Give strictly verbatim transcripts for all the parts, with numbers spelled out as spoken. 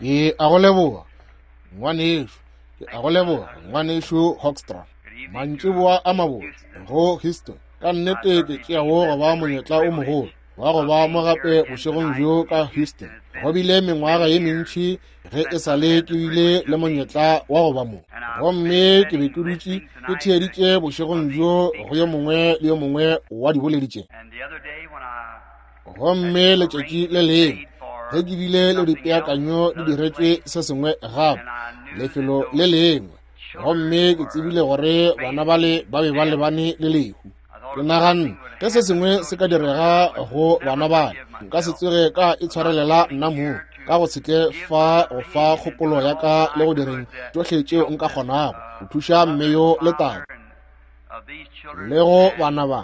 Ke a go leboga, ngwanešu. Ke a go leboga, ngwanešu Hoekstra. Mantšiboa a mabotse go Houston. Ka nnete ke tšeago go ba monyetla o mogolo wa go ba mo gape bošegong bjo ka Houston. Go bile mengwaga ye mentši ge e sa le ke bile le monyetla wa go ba mo. Gomme ke be ke dutše ke theeditše bošegong bjo go yo mongwe le yo mongwe wa diboledi tše. Gomme letšatši le lengwe ge ke bile le dipeakanyo di diretšwe se sengwe gape lefelo le lengwe, gomme ke tsebile gore bana bale ba be ba lebane le lehu. Ke naganne ge se sengwe se ka direga go bana bale, nka se tsoge ka itshwarelela nna mong ka go se tle fa go fa kgopolo ya ka le go direng tšohle tšeo nka kgonago go thuša mme yo le tate le go bana ba,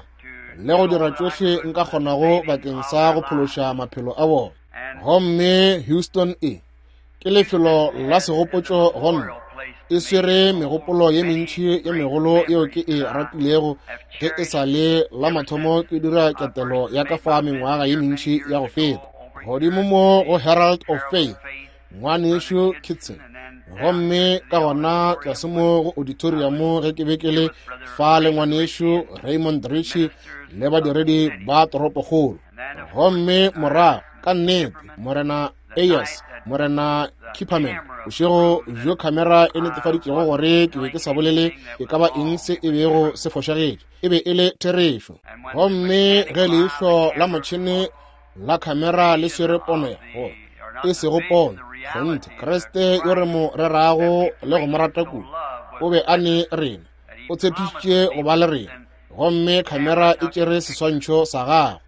le go dira tšohle nka kgonago bakeng sa go phološa maphelo a bona. Gomme Houston e ke lefelo la segopotšo go nna. E swere megopolo ye mentši ye megolo yeo ke e ratilego ge e sa le la mathomo ke dira ketelo ya ka fa mengwaga ye mentši ya go feta. Godimo mo go Herald of Faith, ngwanešu Kitson. Gomme ka gona tlase mo go auditorium ge ke be ke le fa le ngwanešu Raymond Richey le badiredi ba toropokgolo. Gomme morago ka nnete Morena Ayers, Morena Kipperman, bošego bjo khamera e netefaditšego gore ke be ke sa bolele e ka ba eng se e bego se fošagetše, e be e le therešo. Gomme ge leihlo la motšhene la khamera le swere pono ya gore e sego pono, kgonthe Kriste yo re mo rerago le go mo rata kudu o be a ne rena, o tshepišitše go ba le rena, gomme khamera e tšere seswantšho sa gagwe.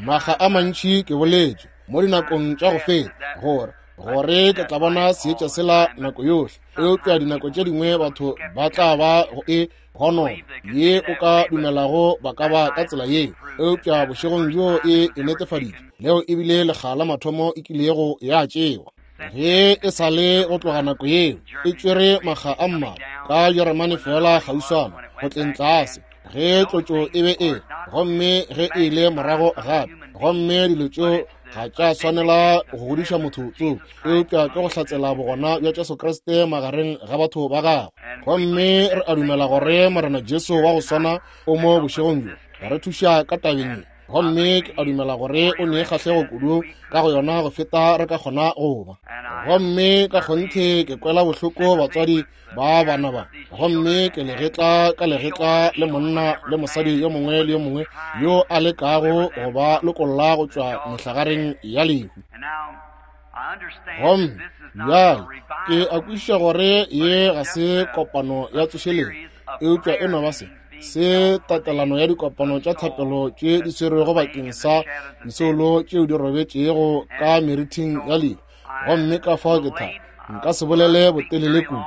Makga a mantši ke boletše mo dinakong tša go feta gore gore ke tla bona seetša sela nako yohle, eupša dinako tše dingwe batho ba tla ba go e gonona ye o ka dumelago ba ka ba ka tsela yeo, eupša bošegong bjo e e netefaditše. Leo e bile lekga la mathomo e kilego ya tšewa. Ge e sa le go tloga nako yeo e tšwere makga a mmalwa ka Jeremane fela kgauswana go tleng tlase ge tlotšo e be e, gomme ge e ile morago gape, gomme dilo tšeo ga tša swanela go godiša motho tso, eupša ke go hlatsela bogona bja Jesu Kriste magareng ga batho ba gagwe. Gomme re a dumela gore Morena Jesu wa go swana o mo bošegong bjo re thuša ka tabeng ye. Gomme ke a dumela gore o ne kgahlego kudu ka go yona go feta re ka kgona go ba. Gomme ka kgonthe ke kwela bohloko batswadi ba bana ba, gomme ke legetla ka legetla le monna le mosadi yo mongwe le yo mongwe yo a lekago go ba lokolla go tšwa mehlagareng ya lehu. Gomme bjale ke a kwešiša gore ye ga se kopano ya tsošeletšo, eupša e no ba se se tatelano ya dikopano tša thapelo tše di swerwego bakeng sa disoulo tšeo di robetšego ka meriting ya lehu. Gomme ka fao ke tha nka se bolele botelele kudu,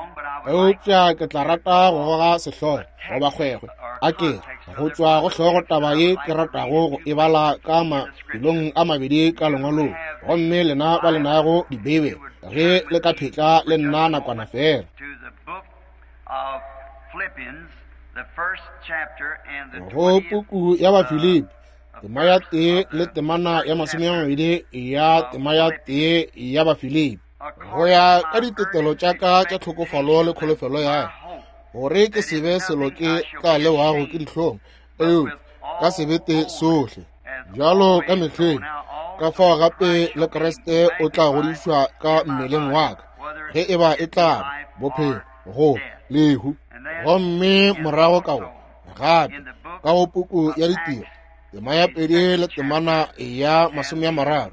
eupša ke tla rata go goga sehlogo goba kgwekgwe a ke go tšwa go hlogo taba ye ke ratago go e bala ka mafelong a mabedi ka lengwalong. Gomme lena ba le nago dibeibele ge le ka phetla le nna nakwana fela. Go puku ya Bafilipi tema ya tee le temana ya masome a mabedi ya tema ya tee ya Bafilipi, go ya ka ditetelo tša ka tša tlhokofalo le kholofelo ya gore ke se be selo ke tla lewago ke dihlong, eupša ka sebete sohle bjalo ka mehleng, ka fao gape le Kriste o tla godišwa ka mmeleng wa ka, ge e ba e tla ba bophelo go lehu. Gomme morago ka go gape ka go puku ya Ditiro tema ya pedi le temana ya masome a mararo,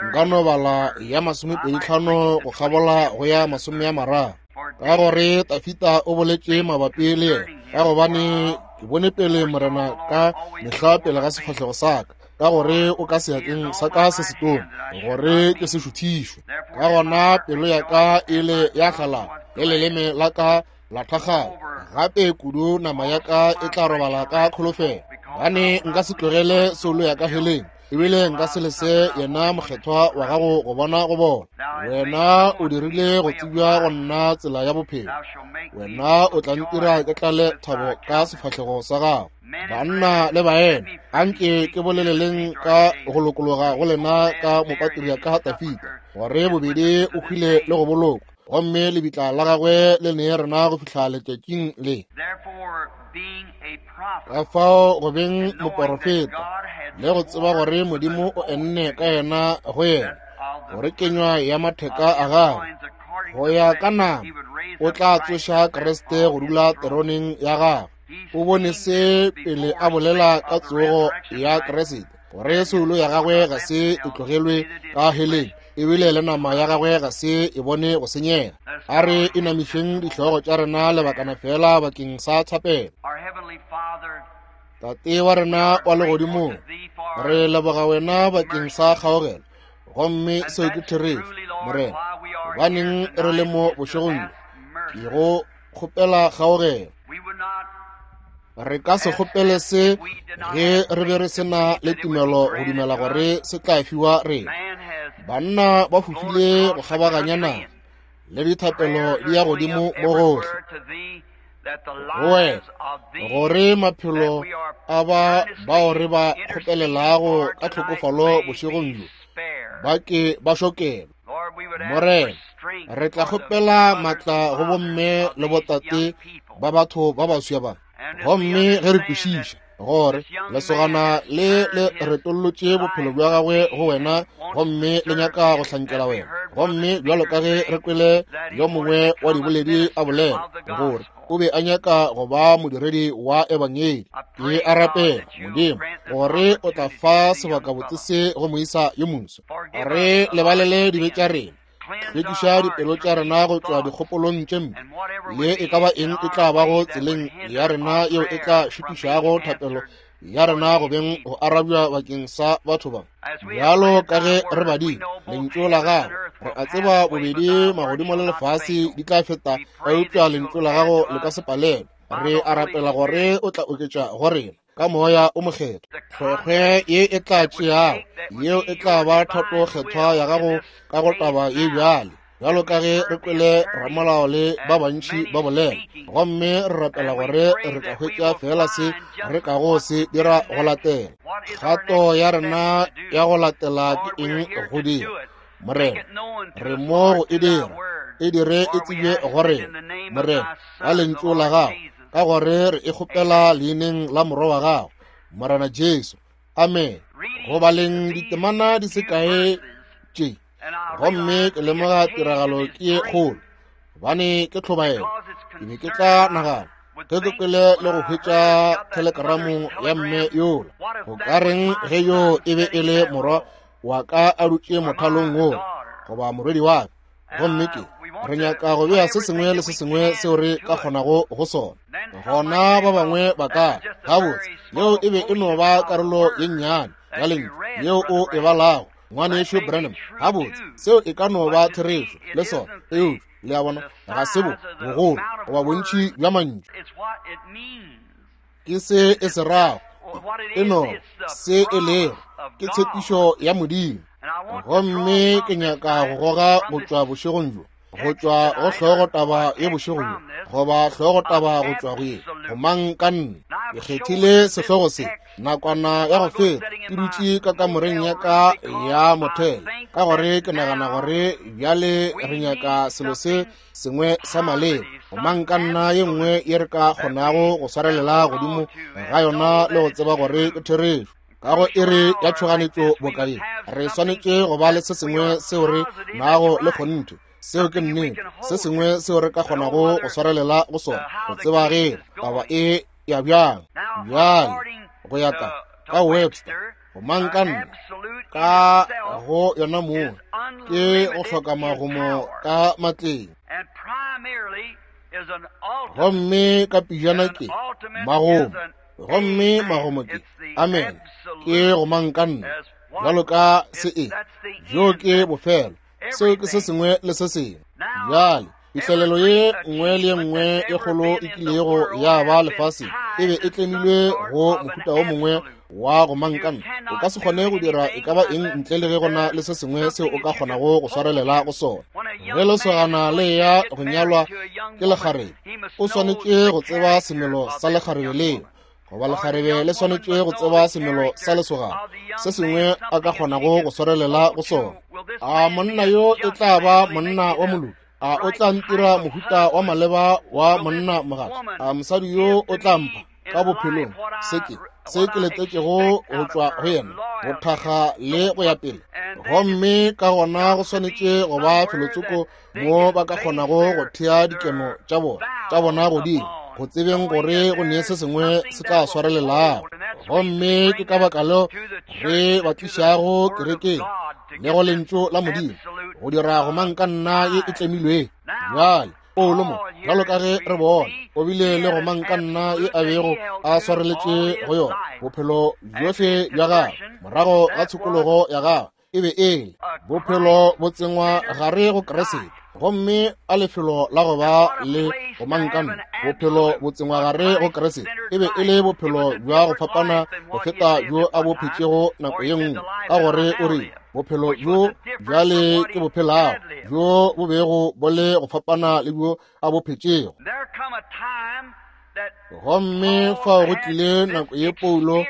nka no bala ya masomepedi tlhano go kgabola go ya masome a mararo, ka gore Tafita o boletše mabapi le yena, ka gobane ke bone pele Morena ka mehla pele ga sefahlego sa ka, ka gore o ka seatleng sa ka se setona gore ke se šuthišwe. Ka gona pelo ya ka e le ya hlalala le leleme la ka la thakgala, gape kudu nama ya ka e tla robala ka kholofelo, gobane nka se tlogele soulo ya ka heleng, ebile nka se lese yena mokgethwa wa gago go bona go bona. Wena o dirile go tsebja go nna tsela ya bophelo, wena o tla ntira ke tlale thabo ka sefahlego sa gago. Banna le baena, anke ke boleleleng ka go lokologa go lena ka mopatriaka Tafita, gore bobedi o hwile le go bolokwa, gomme lebitla la gagwe le ne rena go fihla letšatšing le. Ka fao go beng moporofeta le go tseba gore Modimo o enne ka yena go yena, gore kenywa ya matheka a gagwe go ya ka nama o tla tsoša Kriste go dula teroneng ya gagwe. O bone se pele a bolela ka tsogo ya Kriste, gore soulo ya gagwe ga se e tlogelwe ka heleng, ebile le nama ya gagwe ga se e bone go senyega. A re inamišeng dihlogo tša rena lebakana fela bakeng sa thapelo. Tate wa rena wa legodimong, re leboga wena bakeng sa kgaogelo, gomme seo ke therešo, Morena. Gobaneng re le mo bošegong bjo, ke go kgopela kgaogelo. Re ka se kgopele se ge re be re se na le tumelo go dumela gore se tla fiwa rena. Banna ba fofile go kgabaganya naga, le dithapelo di ya godimo mo gohle go wena, gore maphelo a ba bao re ba kgopelelago ka tlhokofalo bošegong bjo ba ke ba šokelwe. Morena, re tla kgopela matla go bomme le botate ba batho ba baswa ba, gomme ge re kwešiša gore lesogana le le retollotše bophelo bja gagwe go wena, gomme le nyaka go hlankela wena, gomme bjalo ka ge re kwele yo mongwe wa diboledi a bolela gore o be a nyaka go ba modiredi wa ebangedi, ke a rapela Modimo gore o tla fa sebakabotse se go moisa yo moswa. Re lebalele dibe tša rena, hlwekiša dipelo tša rena go tšwa dikgopolong tše mpe, le e ka ba eng e tla bago tseleng ya rena yeo e tla šitišago thapelo ya rena go beng go arabja bakeng sa batho ba. Bjalo ka ge re badile lentšu la gago, re a tseba bobedi magodimo le lefase di tla feta, eupša lentšu la gago le ka se palelwe. Re a rapela gore o tla oketša go rena ka moya o mokgethwa kgwekgwe ye e tla tšeago, yeo e tla ba thato kgethwa ya gago ka go taba ye bjale, bjalo ka ge re kwele ramolao le ba bantši ba bolela, gomme re rapela gore re ka hwetša fela se re kago se dira go latela. Kgato ya rena ya go latela ke eng go dira? Morena, re mo go e dira, e dire e tsebje go rena, Morena, ka lentšu la gago, ka gore re e kgopela leineng la morwa wa gago, Morena Jesu. Amen. Go baleng ditemana di se kae tše, gomme ke lemoga tiragalo ke ye kgolo, gobane ke tlhobaelo. Ke be ke tla nagana ge ke kwele le go hwetša thelekramo ya mme yola, go ka reng ge yo e be e le morwa wa ka a dutše mothalong wola, goba morwedi wa ka? Gomme ke re nyaka go bea se sengwe le se sengwe seo re ka kgonago go sona. Gona ba bangwe ba ka gabotse, yeo e be e no ba karolo ye nnyane ya lentšu yeo o e balago, ngwanešu Branham. Gabotse, seo e ka no ba therešo le sona, eupša le a bona, ga se bo bogolo goba bontši bja mantšu, ke se e se rago, e no se e lego, ke tshepišo ya Modimo. Gomme ke nyaka go goga go tšwa bošegong bjo, go tšwa go hlogo taba ye bošego bjo, goba hlogo taba go tšwa go ye gomang ka nna. Ke kgethile sehlogo se nakwana ya go feta, ke dutše ka kamoreng ya ka ya mothele, ka gore ke nagana gore bjale re nyaka selo se sengwe sa maleba, gomang ka nna ye nngwe ye re ka kgonago go swarelela godimo ga yona le go tseba gore ke therešo. Ka go iri ya tšhoganetšo boka ye, re swanetše go ba le se sengwe seo re nago le kgonthe, seo ke nnete, se sengwe seo re ka kgonago go swarelela go sona, go tseba ge taba e ya bjang. Bjale go ya ka ka Webster, gomang ka nna ka go yona moo ke go hloka magomo ka matleng, gomme ka pijana ke magomo, gomme magomo ke amen, ke gomang ka nna bjalo ka se e bjo ke bofelo, seo ke se sengwe le se sengwe. Bjale phihlelelo ye nngwe le ye nngwe e kgolo e kilego ya ba lefaseng e be e tlemilwe go mohuta o mongwe wa gomang ka nna. O ka se kgone go dira e ka ba eng ntle le ge go na le se sengwe seo o ka kgonago go swarelela go sona. Ge lesogana le ya go nyalwa ke lekgarebe, o swanetše go tseba semelo sa lekgarebe leo, goba lekgarebe le swanetše go tseba semelo sa lesogana se sengwe a ka kgonago go swarelela go sona. A monna yo e tla ba monna wa moloki? A o tla ntira mohuta wa maleba wa monna mogatša? A mosadi yo o tla mpha ka bophelong se ke se ke letetšego go tšwa go yena, go thakga le go ya pele? Gomme ka gona go swanetše go ba felotsoko mo ba ka kgonago go thea dikeno tša bona tša bona godimo, go tsebeng gore go ne se sengwe se tla swarelelago. Gomme ke ka baka leo re ba tlišago kerekeng le go lentšu la Modimo, go dira gomangkanna ye e tlemilweng. Bjale Paulo mo, bjalo ka ge re bona, o bile le gomangkanna ye a bego a swareletše go yona bophelo bjohle bja gagwe morago ga tshokologo ya gagwe. E be e le bophelo bo tsengwa gare go Kriste, gomme a lefelo la go ba le gomangkanna. Bophelo bo tsengwa gare go Kriste e be e le bophelo bja go fapana go feta bjo a bo phetšego nako ye nngwe, ka gore o re bophelo bjo bjale ke bo phelago, bjo bo bego bo le go fapana le bjo a bo phetšego. Gomme fao go tlile nako ye Paulo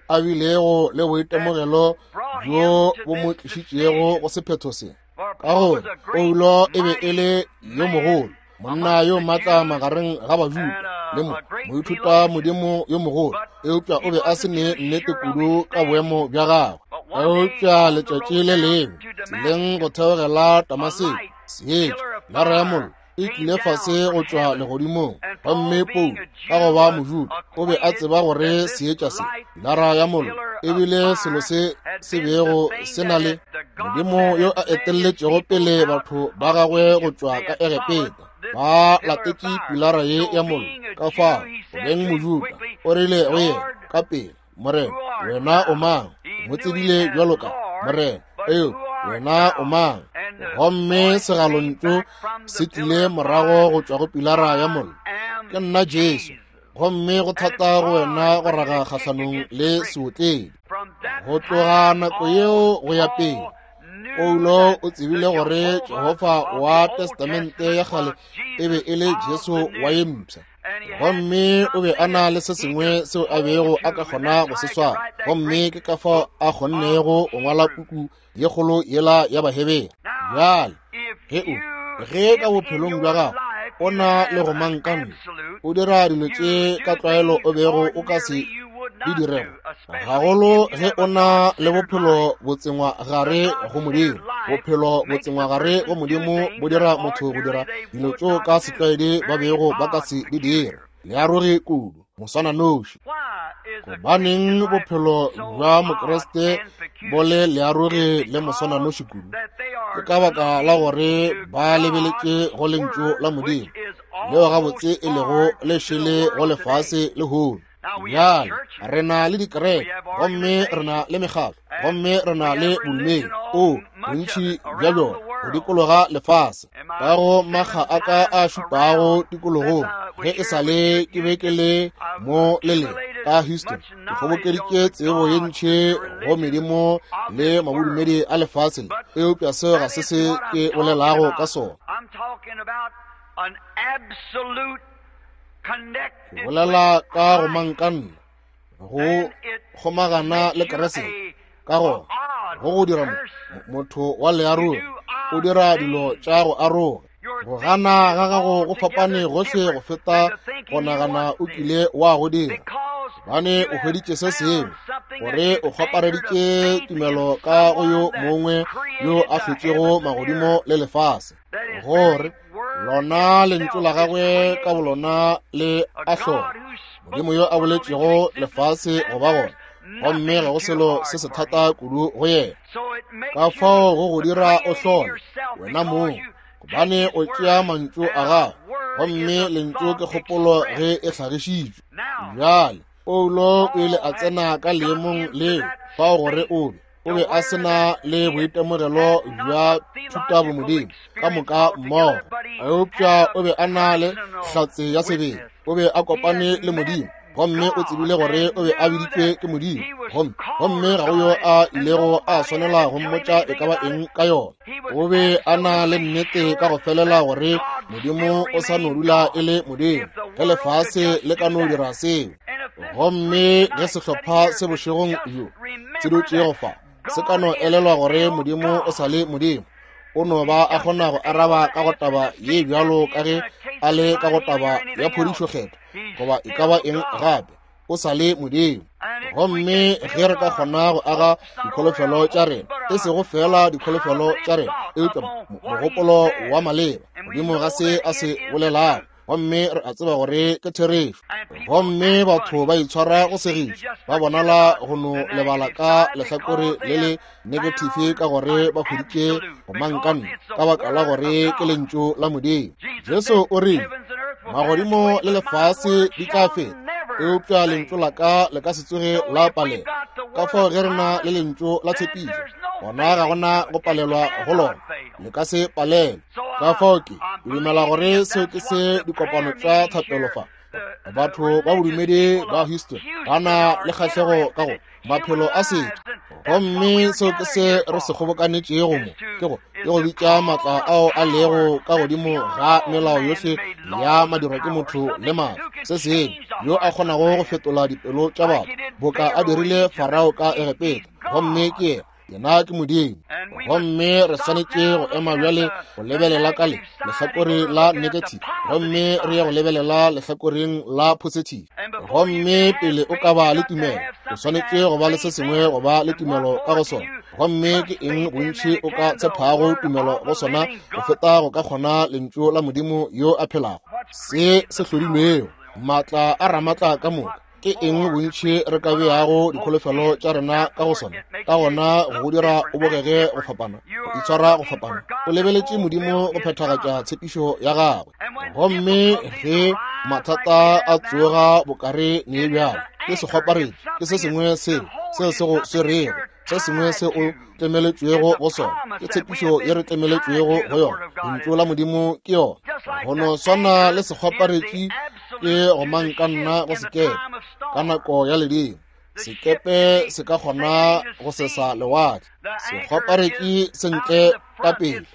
a bilego le boitemogelo bjo bo mo tlišitšego go sephetho se, ka gore Paulo e be e le yo mogolo, monna yo matla magareng ga Bajuda le mo moithuta modimo yo mogolo, eupša o be a se ne nnete kudu ka boemo bja gagwe. Eupša letšatši le lengwe tseleng go theogela Damaseko, seetša lara ya mollo e tlile fase go tšwa legodimong, gomme Paulo ka go ba Mojuda o be a tseba gore seetša se, lara ya mollo, e bile selo se se bego se na le Modimo yo a etelletšego pele batho ba gagwe go tšwa ka Egepeta, ba latetše pilara ye ya mollo. Ka fao go beng Mojuda o rile go yena ka pele, Morena, wena o mang? Mo tsebile bjalo ka Morena, eo wena o mang? Gomme segalontšu se tlile morago go tšwa go pilara ya mollo, ke nna Jesu, gomme go thata go wena go raga kgahlanong le seotledi. Go tloga nako yeo go ya pele, Paulo o tsebile gore Jehofa wa Testamente ya kgale e be e le Jesu wa ye mpsha, gomme o be a na le se sengwe seo a bego a ka kgona go se swara, gomme ke ka fao a kgonnego go ngwala puku ye kgolo yela ya Bahebere. Bjale ge o ge ka bophelong bja gago o na le gomangkanna, o dira dilo tše ka tlwaelo o bego o ka se di dirego, gagolo ge o na le bophelo bo tsengwa gare go Modimo. Bophelo bo tsengwa gare go Modimo bo dira motho go dira dilo tšeo ka setlwaedi ba bego ba ka se di dira. Le aroge kudu, moswananoši. Gobaneng bophelo bja Mokriste bo le learoge le moswananoši kudu? Ke ka baka la gore ba lebeletše go lentšu la Modimo, leo gabotse e lego le šele go lefase lehono. Bjale re na le dikereke, gomme re na le mekgatlo, gomme re na le bodumedi, o bontši bja bjona go dikologa lefase. Ka go makga a ka a šupago tikologong, ge e sa le ke be ke le mo le le ka Houston, ke kgobokeditše tsebo ye ntši go medimo le mabodumedi a lefase le, eupša seo ga se se ke bolelago ka sona. Ke bolela ka gomangkanna, go kgomagana le Kriste. Ka gona go go dira motho wa learogi, o dira dilo tša go aroga. Go gana ga gago go fapane gohle go feta go nagana o kile wa go dira, gobane o hweditše se sengwe, gore o kgopareditše tumelo ka go yo mongwe yo a hlotšego magodimo le lefase, gore lona lentšu la gagwe ka bolona le a hlola. Modimo yo a boletšego lefase go ba gona, gomme ga go selo se se thata kudu go yena. Ka fao go go dira o hlole wena mong, gobane o tšea mantšu a gago, gomme lentšu ke kgopolo ge e hlagišitšwe. Bjale Paulo o ile a tsena ka leemong leo fao gore o be o be a se na le boitemogelo bja thutabomodimo ka moka mmogo, eupša o be a na le hlatse ya sebele. O be a kopane le Modimo, gomme o tsebile gore o be a biditšwe ke Modimo, gomme gomme ga go yo a ilego a swanela go mmotša e ka ba eng ka yona. O be a na le nnete ka go felela gore Modimo o sa no dula e le Modimo, ge lefase le ka no dira seo. Gomme ge sehlopha se bošegong bjo se dutšego fa se ka no elelwa gore Modimo o sa le Modimo, o no ba a kgona go araba ka go taba ye bjalo ka ge a le ka go taba ya phodišo kgethwa goba e ka ba eng gape, o sa le Modimo. Gomme ge re ka kgona go aga dikholofelo tša rena, e sego fela dikholofelo tša rena, eupša mogopolo wa maleba Modimo ga se a se bolelago, gomme re a tseba gore ke therešo. Gomme batho ba itshwara go segiša, ba bonala go no lebala ka lehlakore le le negative ka gore ba hweditše gomangkanna ka baka la gore ke lentšu la Modimo. Jesu o rile, magodimo le lefase di tla feta, eupša lentšu la ka le ka se tsoge la palela. Ka fao ge re na le lentšu la tshepišo, gona ga gona go palelwa go lona, le ka se palelwe. Ka fao ke dumela gore seo ke se dikopano tša thapelo fa batho ba bodumedi ba Houston ba na le kgahlego ka go maphelo a setho. Gomme seo ke se re se kgobokanetšego mo, ke go ke go bitša maatla ao a lego ka godimo ga melao yohle ya madirwa ke motho le maatla, se sengwe yo a kgonago go fetola dipelo tša batho boka a dirile Farao ka Egepeta. Gomme ke yena, yena ke Modimo. Gomme re swanetše go ema bjale go lebelela ka le lehlakore la negative, gomme re ye go lebelela lehlakoreng la positive. Gomme pele o ka ba le tumelo, o swanetše go ba le se sengwe go ba le tumelo ka go sona. Gomme ke eng bontši o ka tshepago tumelo go sona go feta go ka kgona lentšu la Modimo yo a phelago, se se hlodilwego, maatla a ramatla ka moka? Ke eng bontši re ka beago dikholofelo tša rena ka go sona? Ka gona go dira o bogege go fapana, go itshwara go fapana, o lebeletše Modimo go phethagatša tshepišo ya gagwe. Gomme ge mathata a tsoga bokare ne bjalo, ke sekgwaparetši, ke se sengwe seo seo se go swerego, se sengwe se o tlemeletšwego go sona, ke tshepišo ye re tlemeletšwego go yona. Lentšu la Modimo ke yona. Go no swana le sekgwaparetši ke gomangkanna go sekepe ka nako ya ledimo. Sekepe se ka kgona go sesa lewatle, sekgwaparetši se ntle ka pele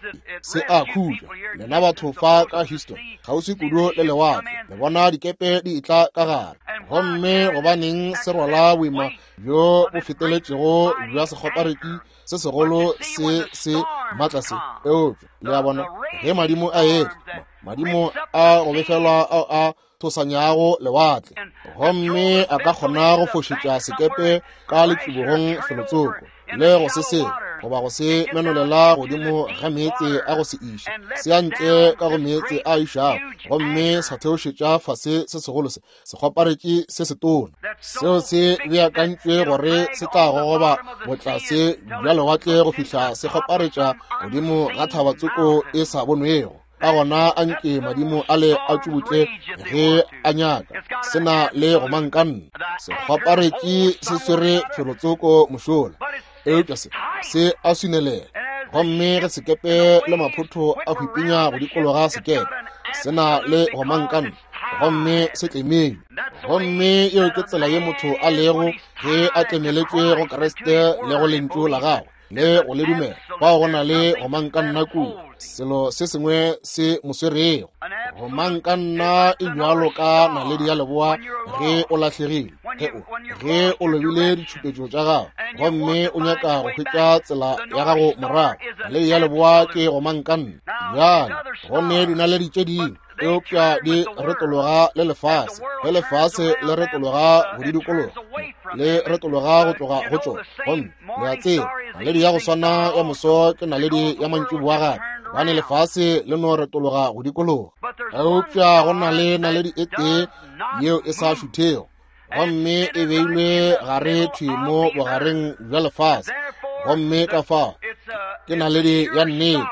se a khutša. Lena batho fa ka Houston, kgauswi kudu le lewatle, le bona dikepe di etla ka gare. Gomme gobaneng se rwala boima bjo bo feteletšego bja sekgwaparetši se segolo se se maatla se? Eupša le a bona, ge madimo a etla, madimo a go befelwa ao a thosanyago lewatle, gomme a ka kgona go fošetša sekepe ka letšibogong felotsoko le go se sengwe, goba go se menolela godimo ga meetse a go se iše, se ya ntle ka go meetse a išago, gomme sa theošetša fase se segolo se sekgwaparetši se setona. Seo se beakantšwe gore se tla gogoba botlase bja lewatle go fihla se kgwaparetša godimo ga thabatsoko e sa bonwego. Ka gona a nke madimo a le a tšubutle ge a nyaka, se na le gomangkanna. Sekgwaparetši se swere felotsoko mošola, eupša se se a swinelela. Gomme ge sekepe le maphotho a hwipinya go dikologa sekepe, se na le gomangkanna, gomme se tlemilwe. Gomme yeo ke tsela ye motho a lego ge a tlemeletšwe go Kriste le go lentšu la gagwe le go le dumela. Fao go na le gomangkanna kua, selo se sengwe se mo swerego. Gomangkanna e bjalo ka naledi ya leboa ge o lahlegile, ge o ge o lobile ditšhupetšo tša gago gomme o nyaka go hwetša tsela ya gago morago, naledi ya leboa ke gomangkanna. Bjale go ne dinaledi tše dingwe, eupša di retologa le lefase. Ge lefase le retologa go di dikologa, le retologa go tloga go tšona. Gomme le a tseba, naledi ya go swana ya moso ke naledi ya mantšiboa gape, gobane lefase le no retologa go dikologa. Eupša go na le naledi e tee yeo e sa šuthego, gomme e beilwe gare thwi mo bogareng bja lefase. Gomme ka fao ke naledi ya nnete.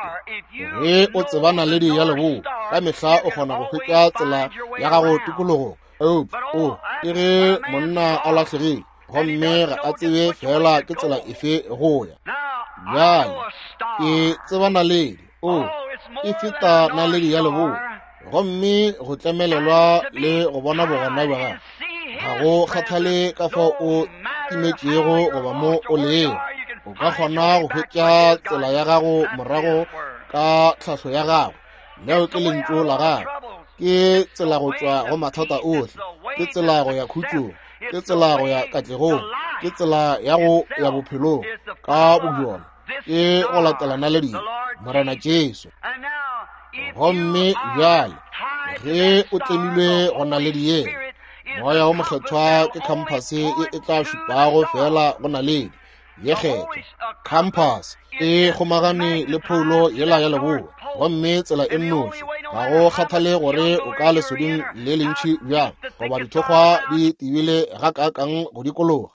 Ge o tseba naledi ya leboa, ka mehla o kgona go hwetša tsela ya gago tikologong. Eupša o ke ge monna a lahlegile, gomme ga a tsebe fela ke tsela efe go ya. Bjale ke tseba naledi, o e feta naledi ya leboa, gomme go tlemelelwa le go bona bogona bja gagwe. Ga go kgathale ka fao o timetšego goba mo o lego, o ka kgona go hwetša tsela ya gago morago ka tlhahlo ya gagwe. Leo ke lentšu la gagwe. Ke tsela go tšwa go mathata ohle, ke tsela go ya khutšong, Ke tsela go ya katlegong, ke tsela ya go ya bophelong ka bobjona, ke go latela naledi Morena Jesu. Gomme bjale ge o tlemilwe go naledi yela, Moya wo Mokgethwa ke khamphase ye e tla šupago fela go naledi ye kgethwa. Khamphase e kgomagane le phoulo yela ya leboa, gomme tsela e nnoši, ga go kgathale gore o ka lesoding le lentši bjang goba dithokgwa di tibile gakaakang go dikologa,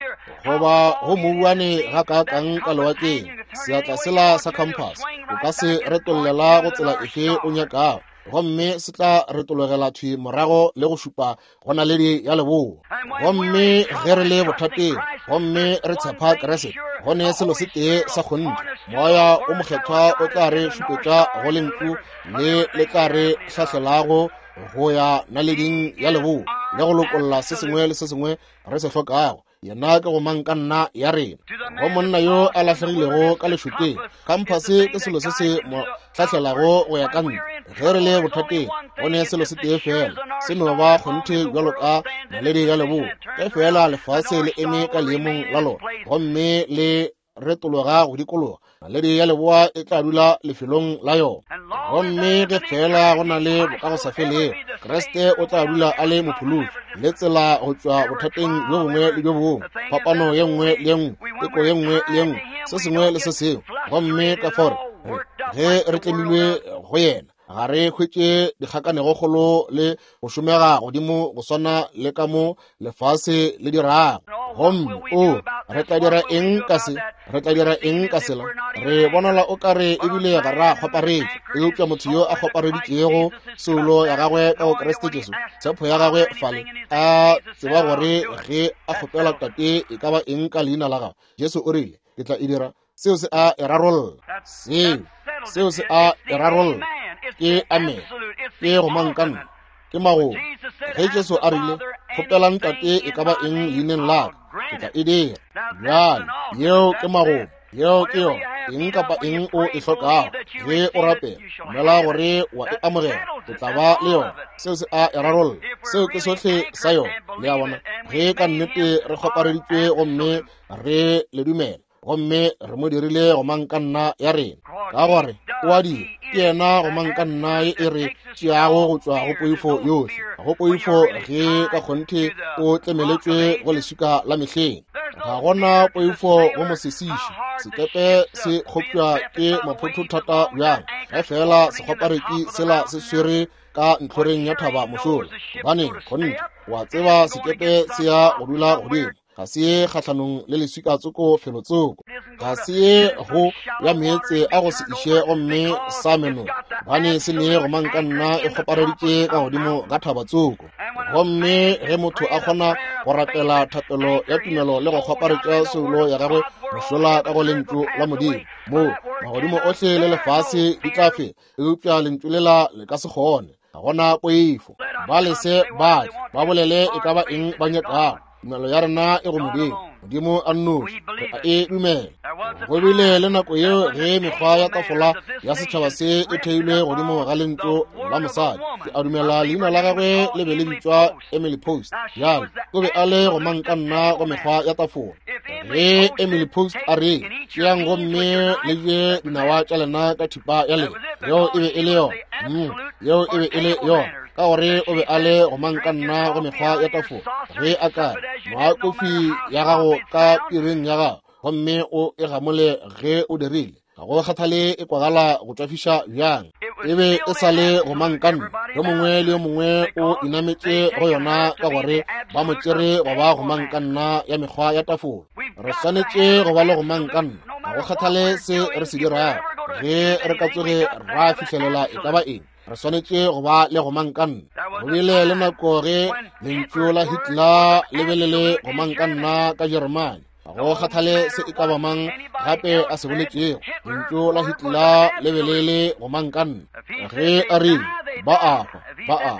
goba go mouwane gakaakang ka lewatleng, seatla sela sa khamphase o ka se retollela go tsela efe o nyakago, gomme se tla retologela thwi morago le go šupa go naledi ya leboa. Gomme ge re le bothateng gomme re tshepa Kriste, go ne selo se tee sa kgonthe, Moya o Mokgethwa o tla re šupetša go lentšu le le tla re hlahlelago go ya naleding ya leboa le go lokolla se sengwe le se sengwe re se hlokago. Yena ke go mang ka nna ya rena. Go monna yo a lahlegilego ka lešokeng, khamphase ke selo se se mo hlahlelago go ya ka ntle. Ge re le bothateng, go ne selo se tee fela, se no ba kgonthe bjalo ka naledi ya leboa, ge fela lefase le eme ka leemong la lona gomme le retologa go dikologa, naledi ya leboa e tla dula lefelong la yona. Gomme ge fela go na le bokagosafelego, Kriste o tla dula a le mophološi le tsela go tšwa bothateng bjo bongwe le bjo bongwe, phapano ye nngwe le ye nngwe, teko ye nngwe le ye nngwe, se sengwe le se sengwe. Gomme ka fao re ge re tlemilwe go yena, ga re hwetše dikgakanegokgolo le go šomega godimo go swana le ka mo lefase le dirago. Gomme o re tla dira eng ka se? Re tla dira eng ka sela? Re bonala o kare ebile ga ra kgwaparetša, eupša motho yo a kgwapareditšego soulo ya gagwe ka go Kriste Jesu, tshepo ya gagwe fale, a tseba gore ge a kgopela Tate e ka ba eng ka leina la gagwe, Jesu o rile, ke tla e dira. Seo se a e rarolla. Seo seo se a e rarolla. Ke amen. Ke go mang ka nna. Ke magomo. Ge Jesu a rile, kgopelang Tate e ka ba eng leineng la ka, ke tla e dira. Bjale yeo ke magomo. Yeo ke yona. Eng kapa eng o e hlokago, ge o rapela, dumela gore wa e amogela, o tla ba le yona. Seo se a e rarolla. Seo ke sohle sa yona. Le a bona? Ge ka nnete re kgwapareditšwe gomme re le dumela, gomme re mo dirile go mang ka nna ya rena, ka gore o a dira, ke yena go mang ka nna ye e re tšeago go tšwa go poifo yohle, go poifo ge ka kgonthe o tlemeletšwe go leswika la mehleng. Ga gona poifo go mosesiši. Sekepe se kgopša ke maphoto thata bjang, ge fela sekgwaparetši sela se swere ka ntlhoreng ya thaba mošola, gobane kgonthe wa tseba sekepe se ya go dula godimo, ga se ye kgahlanong le leswika tsoko felotsoko, ga se ye go ya meetse a go se iše gomme sa meno, gobane se ne go mang ka nna e kgopareditše ka godimo ga thaba tsoko. Gomme ge motho a kgona go rapela thapelo ya tumelo le go kgwaparetša soulo ya gagwe mošola ka go lentšu la Modimo, moo magodimo ohle le lefase di tla fela, eupša lentšu lela le ka se kgone. Ga gona poifo. Ba lese ba tle, ba bolele e ka ba eng ba nyakago. Tumelo ya rena e go Modimo, Modimo a nnoši, re a e dumela. Go bile le nako yeo ge mekgwa ya tafola ya setšhaba se e theilwe godimo ga lentšu la mosadi. Ke a dumela leina la gagwe le be le bitšwa Emily Post. Bjale o be a le go mang ka nna go mekgwa ya tafola. Ge Emily Post a re, tšeang gomme le je dinawa tša lena ka thipa ya lena, yeo e be e le yona. Mm, yeo e be e le yona, ka gore o be a le go mang ka nna go mekgwa ya tafola. Ge a ka re, nwa kofi ya gago ka piring ya gago, gomme o e gamole ge o dirile, ga go kgathale e kwagala go tšwafiša bjang, e be e sa le go mang ka nna. Yo mongwe le yo mongwe o inametše go yona ka gore ba mo tšere go ba go mang ka nna ya mekgwa ya tafola. Re swanetše go ba le go mang ka nna, ga go kgathale se re se dirago. Ge re ka tsoge ra fihlelela e ka ba eng, re swanetše go ba le go mang ka nna. Go bile le nako ge lentšu la Hitler le be le le go mang ka nna ka Jeremane. Ga go kgathale se e ka ba mang gape a se boletšego, lentšu la Hitler le be le le go mang ka nna. Ge a rile ba a hwa, ba a hwa.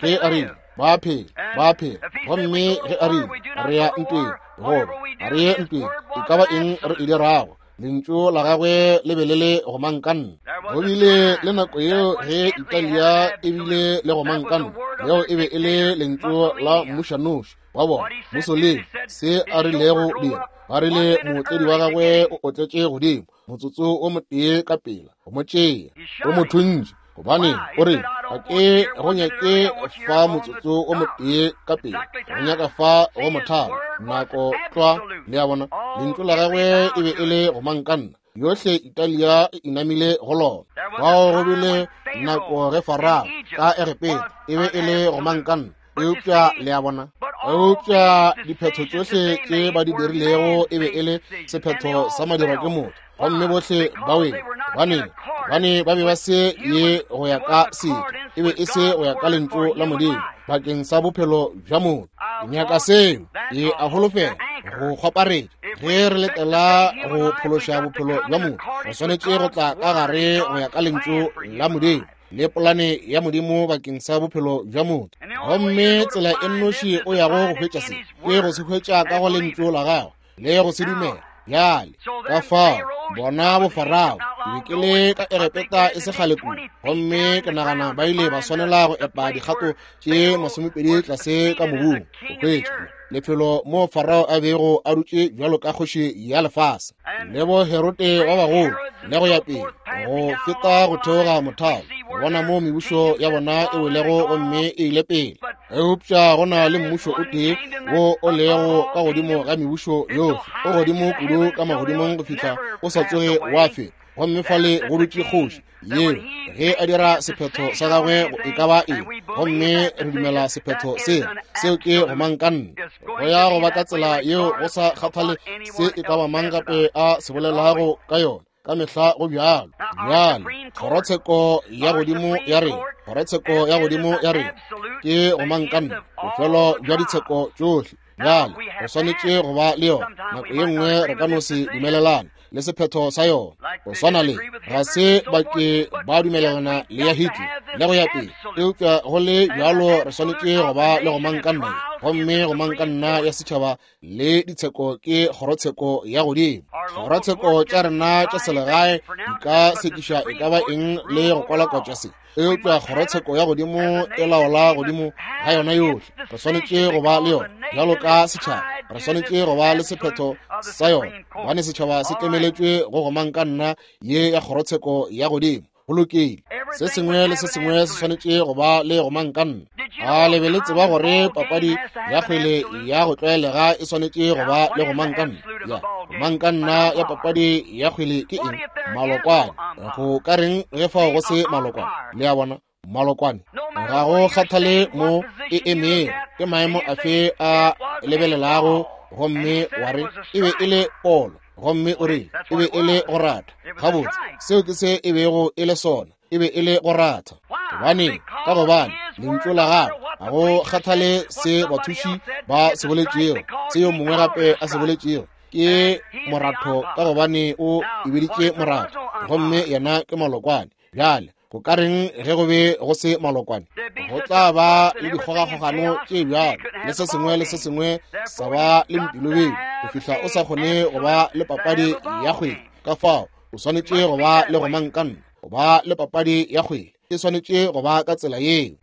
Ge a rile ba phela, ba phela. Gomme ge a rile re ya ntweng, goba ga re ye ntweng, e ka ba eng re e dirago, lentšu la gagwe le be le le go mang ka nna. Go bile le nako yeo ge Italia e bile le go mang ka nna, yeo e be e le lentšu la mmušanoši wa bona Mussolini, se a rilego dira, ba rile mootledi wa gagwe o otletše godimo motsotso o motee ka pela go mo tšea, o mo thuntše. Gobane o re ga ke go nyake fa motsotso o motee ka pele, go nyaka fa go mothalo nako tlwa. Le a bona, lentšu la gagwe e be e le go mankanna. Yohle Italia e inamile go lona. Fao go bile nako ge Farao ka Egepeta e be e le go mankanna. Eupša le a bona, eupša diphetho tšohle tše ba di dirilego e be e le sephetho sa madirwa ke motho, gomme bohle ba wele. Gobane gobane ba be ba se ye go ya ka setho, e be e se go ya ka lentšu la Modimo bakeng sa bophelo bja motho. Ke nyaka seo, ke a holofela go kgwaparetša. Ge re letela go phološa bophelo bja motho, re swanetše go tla ka gare go ya ka lentšu la Modimo le polane ya Modimo bakeng sa bophelo bja motho. Gomme tsela e nnoši o yago go hwetša se ke go se hwetša ka go lentšu la gagwe le go se dumela. Bjale ka fao bona bofarao, ke be ke le ka Egepeta e se kgale kudu, gomme ke nagana ba ile ba swanela go epa dikgato tše masomepedi tlase ka mobung go hwetša lefelo mo Farao a bego a dutše bjalo ka kgoši ya lefase, le bo Herote ba bagolo le go ya pele go feta go theoga mothalo, go bona mo mebušo ya bona e welego gomme e ile pele. Eupša go na le mmušo o tee wo o lego ka godimo ga mebušo yohle, o godimo kudu ka magodimong go fihla o sa tsoge wa feta. Gomme fale go dutše kgoši yeo ge a dira sephetho sa gagwe e ka ba eng, gomme re dumela sephetho seo. Seo ke go mankanna, go ya go ba ka tsela yeo go sa kgathale se e ka ba mang gape a se bolelago ka yona, ka mehla go bjalo. Bjale kgorotsheko ya godimo ya rena, kgorotsheko ya godimo ya rena ke go mankanna, bofelo bja ditsheko tšohle. Bjale re swanetše go ba le yona. Nako ye nngwe re ka no se dumelelane le sephetho sa yona, go swana le ga se ba ke ba dumelelana le ya Hitler le go ya pele, eupša go le bjalo re swanetše go ba le go mankanna. Gomme go mankanna ya setšhaba le ditsheko ke kgorotsheko ya godimo. Kgorotsheko tša rena tša selegae di ka sekiša e ka ba eng le go kwalakwatša se, eupša kgorotsheko ya godimo e laola godimo ga yona yohle. Re swanetše go ba le yona bjalo ka setšhaba, re swanetše go ba le sephetho sa yona, gobane setšhaba se tlemeletšwe go go mankanna ye ya kgorotsheko ya godimo. Go lokile, se sengwe le se sengwe se swanetše go ba le go mankanna. A le be le tseba gore papadi ya kgwele ya go tlwaelega e swanetše go ba le go mankanna? Ya go mankanna ya papadi ya kgwele ke eng? Malokwane. Go ka reng ge fao go se malokwane? Le a bona, malokwane ga go kgathale mo e emego, ke maemo afe a lebelelago, gomme wa re e be e le polo, gomme o re e be e le go rata. Gabotse, seo ke se e bego e le sona, e be e le go ratha. Gobane ka gobane lentšu la gagwe ga go kgathale se bathuši ba se boletšego, se yo mongwe gape a se boletšego, ke moratho, ka gobane o e biditše moratho, gomme yena ke malokwane. Bjale go ka reng ge go be go se malokwane? Go tla ba le dikgogakgogano tše bjalo le se sengwe le se sengwe sa ba le mpilobedi go fihla o sa kgone go ba le papadi ya kgwele. Ka fao o swanetše go ba le go mankanna, go ba le papadi ya kgwele e swanetše go ba ka tsela yeo.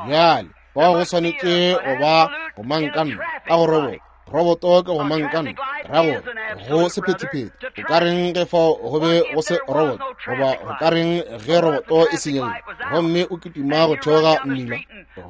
Bjale fao go swanetše go ba go mankanna ka go roboto, roboto ke go mankanna, ra gore go sephethephethe. Go ka reng ge fao go be go se roboto, goba go ka reng ge roboto e senyegile gomme o kitima go theoga mmila,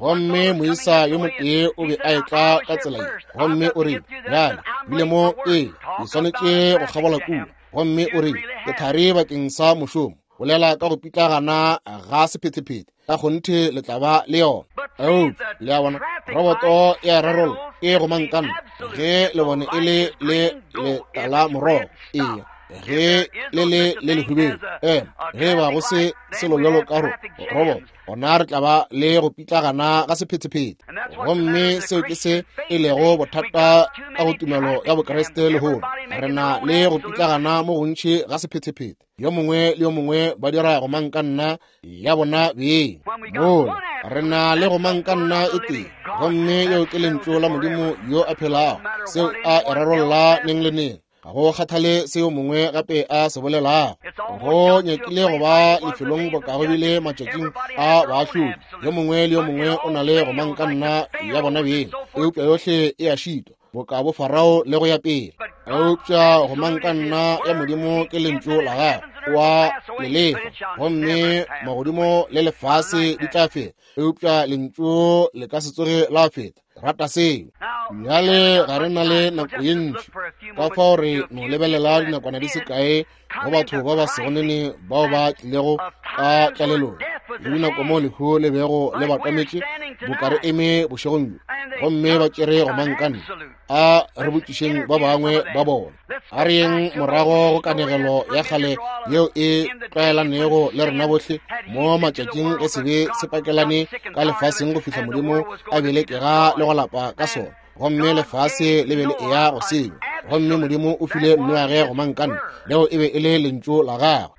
gomme moisa yo motee o be a etla ka tsela ye, gomme o rile, bjale bile mo pele ke swanetše go kgabola kua, gomme o rile ke thari bakeng sa mošomo. Bolela ka go pitlagana ga sephethephethe, ka kgonthe le tla ba le yona. Eupša le a bona, roboto ya rarolla ke go mankanna ge le bone e le le letala morogo, eya ge le le le lehubedu, ema ge ba go se selo bjalo ka roboto, gona re tla ba le go pitlagana ga sephethephethe. Gomme seo ke se e lego bothata ka go tumelo ya Bokriste lehono. Re na le go pitlagana mo gontši ga sephethephethe, yo mongwe le yo mongwe ba dira go mankanna ya bona beng. Mola re na le go mankanna e tee, gomme yeo ke lentšu la Modimo yo a phelago, seo a e rarolla neng le neng. Ga go kgathale se yo mongwe gape a se bolelago. Go nyakile go ba lefelong boka go bile matšatšing a baahlodi. Yo mongwe le yo mongwe o na le gomangkanna ya bona beng, eupša yohle e a šitwa, boka bo Farao le go ya pele. Eupša gomangkanna ya Modimo ke lentšu la gagwe, wa le lefa, gomme magodimo le lefase di tla feta, eupša lentšu le ka se tsoge la feta. Rata seo. Bjale ga re na le nako ye ntši, ka fao re no lebelela dinakwana di se kae go batho ba ba sego nene bao ba tlilego ka tlalelong le dinako mo lehu le bego le ba tametše, boka re eme bošegong bjo, gomme ba tšere gomangkanna. A re botšišeng ba bangwe ba bona. A re yeng morago go kanegelo ya kgale yeo e tlwaelanego le rena bohle mo matšatšing ge sebe se pakelane ka lefaseng go fihla Modimo a bile kega le go lapa ka sona, gomme lefase le be le eya go senywa, gomme Modimo o file Noage gomangkanna, leo e be e le lentšu la gagwe.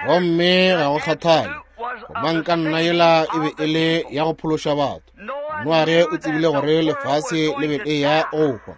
Gomme ga go kgathale, gomangkanna yela e be e le ya go phološa batho. Noage o tsebile gore lefase le be le ya go hwa,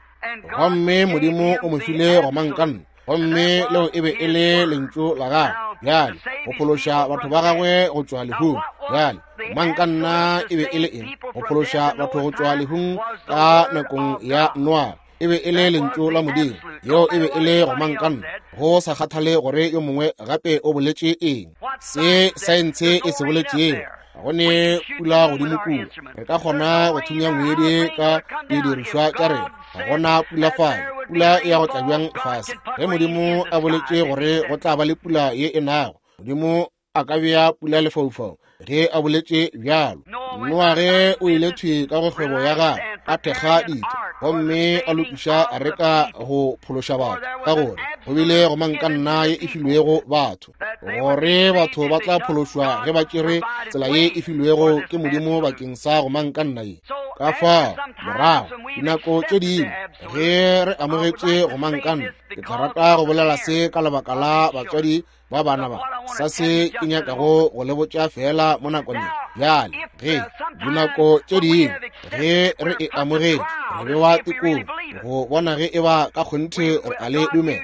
gomme Modimo o mo file gomangkanna, gomme leo e be e le lentšu la gagwe, bjale go phološa batho ba gagwe go tšwa lehung. Bjale gomangkanna e be e le eng? Go phološa batho go tšwa lehung ka nakong ya Noage e be e le lentšu la Modimo. Yeo e be e le gomangkanna, go sa kgathale gore yo mongwe gape o boletše eng, se saense e se boletšego. Ga go ne pula godimo kua, re ka kgona go thunya ngwedi ka didirišwa tša rena. Ga gona pula fale, pula e ya go tla bjang fase? Ge Modimo a boletše gore go tla ba le pula ye e nago, Modimo a ka bea pula lefaufaung ge a boletše bjalo. Noage o ile thwi ka go kgwebo ya gagwe, a thekga ditho, gomme a lokiša areka go phološa batho, ka gore go bile gomangkanna ye e filwego batho, gore batho ba tla phološwa ge ba tšere tsela ye e filwego ke Modimo bakeng sa gomangkanna ye. Ka fao morago dinako tše dingwe ge re amogetše gomangkanna, ke tla rata go bolela se ka lebaka la batswadi ba bana ba, sa se ke nyakago go le botša fela mo nakong. Bjale ge dinako tše dingwe ge re e amogetše, re bewa tekong go bona ge e ba ka kgonthe re a le dumela.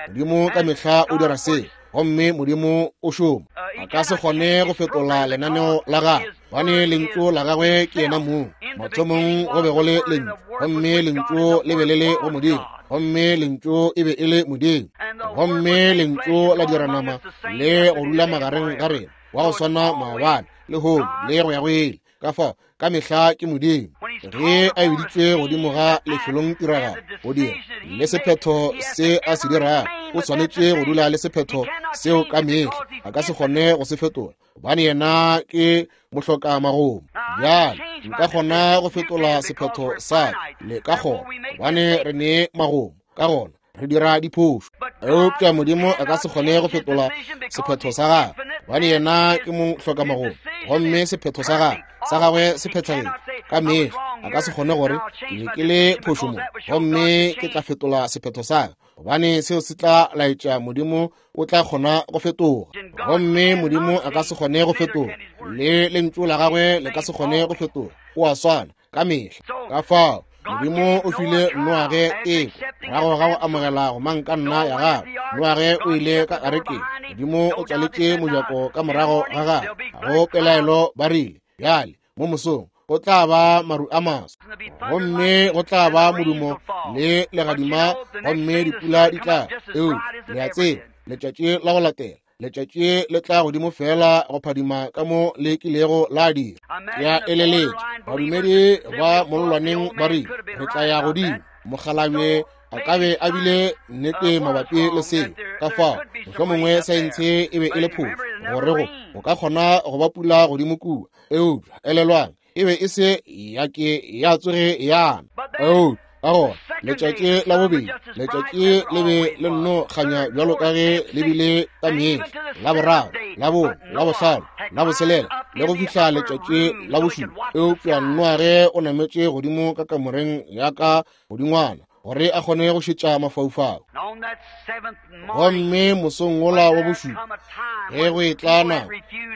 Modimo ka mehla o dira se, gomme Modimo o šoma. A ka se kgone go fetola lenaneo la gagwe, gobane lentšu la gagwe ke yena mong. Mathomong go be go le lentšu, gomme lentšu le be le le go Modimo, gomme lentšu e be e le Modimo, gomme lentšu la dira nama le go dula magareng ga rena, wa go swana maabane, lehono le go ya go ile. Ka fao ka mehla ke Modimo. Ge a biditšwe godimo ga lefelong tiragalo go dira le sephetho se a se dirago, o swanetše go dula le sephetho seo ka mehla. A ka se kgone go se fetola, gobane yena ke mohloka magomo. Bjale nka kgona go fetola sephetho sa ka, le ka kgona, gobane re ne magomo, ka gona re dira diphošo. Eupša Modimo a ka se kgone go fetola sephetho sa gagwe, gobane yena ke mohloka magomo, gomme sephetho sa gagwe sa gagwe se phethagetše ka mehla. A ka se kgone gore ke be ke le phošo mo, gomme ke tla fetola sephetho sa ka, gobane seo se tla laetša Modimo o tla kgona go fetoga. Gomme Modimo a ka se kgone go fetoga, le lentšu la gagwe le ka se kgone go fetoga. O a swana ka mehla. Ka fao Modimo o file Noage teko morago ga go amogela gomangkanna ya gagwe. Noage o ile ka arekeng, Modimo o tswaletše mojako ka morago ga gagwe. Ga go pelaelo ba rile, bjale mo mosong go tla ba maru a maso, gomme go tla ba modumo le legadima, gomme dipula di tla. Eupša le a tseba, letšatši la go latela letšatši le tla godimo fela go phadima ka mo le kilego la dira. Ke a eleletša badumedi ba mollwaneng ba rile, re tla ya godimo. Mokgalabje a ka be a bile nnete mabapi le seo. Ka fao mohlomongwe saense e be e le phošo gore go go ka kgona go ba pula godimo kua, eupša elelwang e be e se ya ke ya tsoge yana. Eupša ka gona letšatši la bobedi, letšatši le be le nno kganya bjalo ka ge le bile ka mehla. La boraro, la bone, la bohlano, la botshelela, le go fihla letšatši la bošupa. Eupša Noage o nametše godimo ka kamoreng ya ka godingwana gore a kgone go šetša mafaufau. Gomme mosong wola wa bošupa, ge go etla nako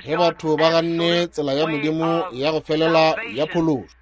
ge batho ba ganne tsela ya Modimo ya go felela ya phološo,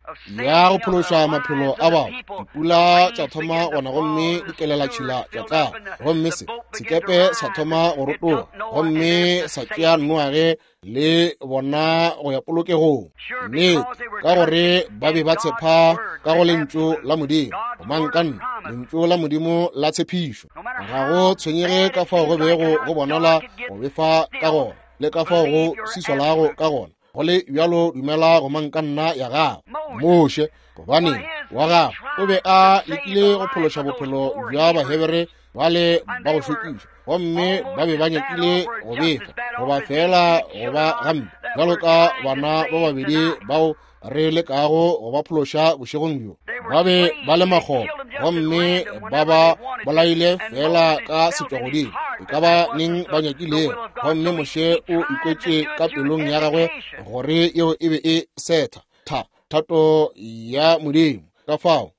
ya go phološa maphelo a batho. Dipula tša thoma gona gomme di kelelatšhila tša tla, gomme se sekepe sa thoma go rotoga, gomme sa tšea Noage le bona go ya polokegong. Nnete, ka gore ba be ba tshepa ka go lentšu la Modimo, gomangkanna, lentšu la Modimo la tshepišo. Ga go tshwenyege ka fao go bego go bonala go befa ka gona le ka fao go sisolago ka gona, go le bjalo dumela gomangkanna ya gago. Moshe, gobane wa gagwe o be a lekile go phološa bophelo bja Bahebere bale ba go šokiša, gomme ba be ba nyakile go befa goba fela go ba gampe bjalo ka bana ba babedi bao re lekago go ba phološa bošegong bjo. Ba be ba le makgoba gomme ba ba bolaile fela ka setšwagodimo e ka ba neng ba nyakilego, gomme Moshe o ikwetše ka pelong ya gagwe gore yeo e be e setha tha thato ya Modimo. Ka fao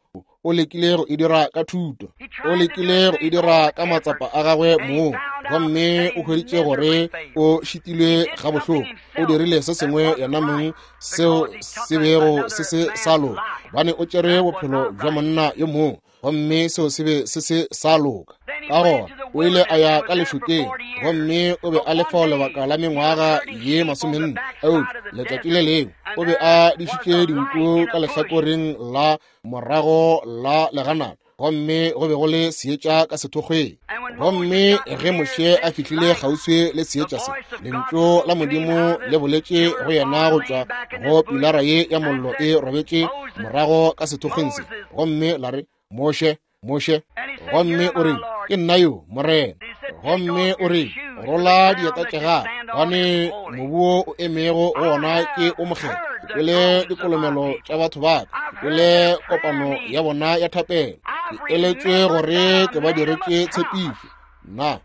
o lekile go e dira ka thuto, o lekile go e dira ka matsapa a gagwe mong, gomme o hweditše gore o šitilwe gabohloko. O dirile se sengwe yena mong seo se bego se se sa loka, gobane o tšere bophelo bja monna yo mongwe, gomme seo se be se se sa loka. Ka gona o ile a ya ka lešokeng, gomme o be a le fao lebaka la mengwaga ye masomenne. Eupša letšatši le lengwe o be a dišitše dinku ka lehlakoreng la morago la leganata, gomme go be go le seetša ka sethokgweng. Gomme ge Moshe a fihlile kgauswi le seetša se, lentšu la Modimo le boletše go yena go tšwa go pilara ye ya mollo e robetše morago ka sethokgweng se, gomme la re, Moshe, Moshe. Gomme o re, ke nna yo, Morena. Gomme o re, rola dieta tša gago, gobane mobu wo o emego go wona ke o mokgethwa. Ke kwele dikolomelo tša batho ba ka, ke kwele kopano ya bona ya thapelo, ke eletšwe gore ke ba diretše tshepišo. Na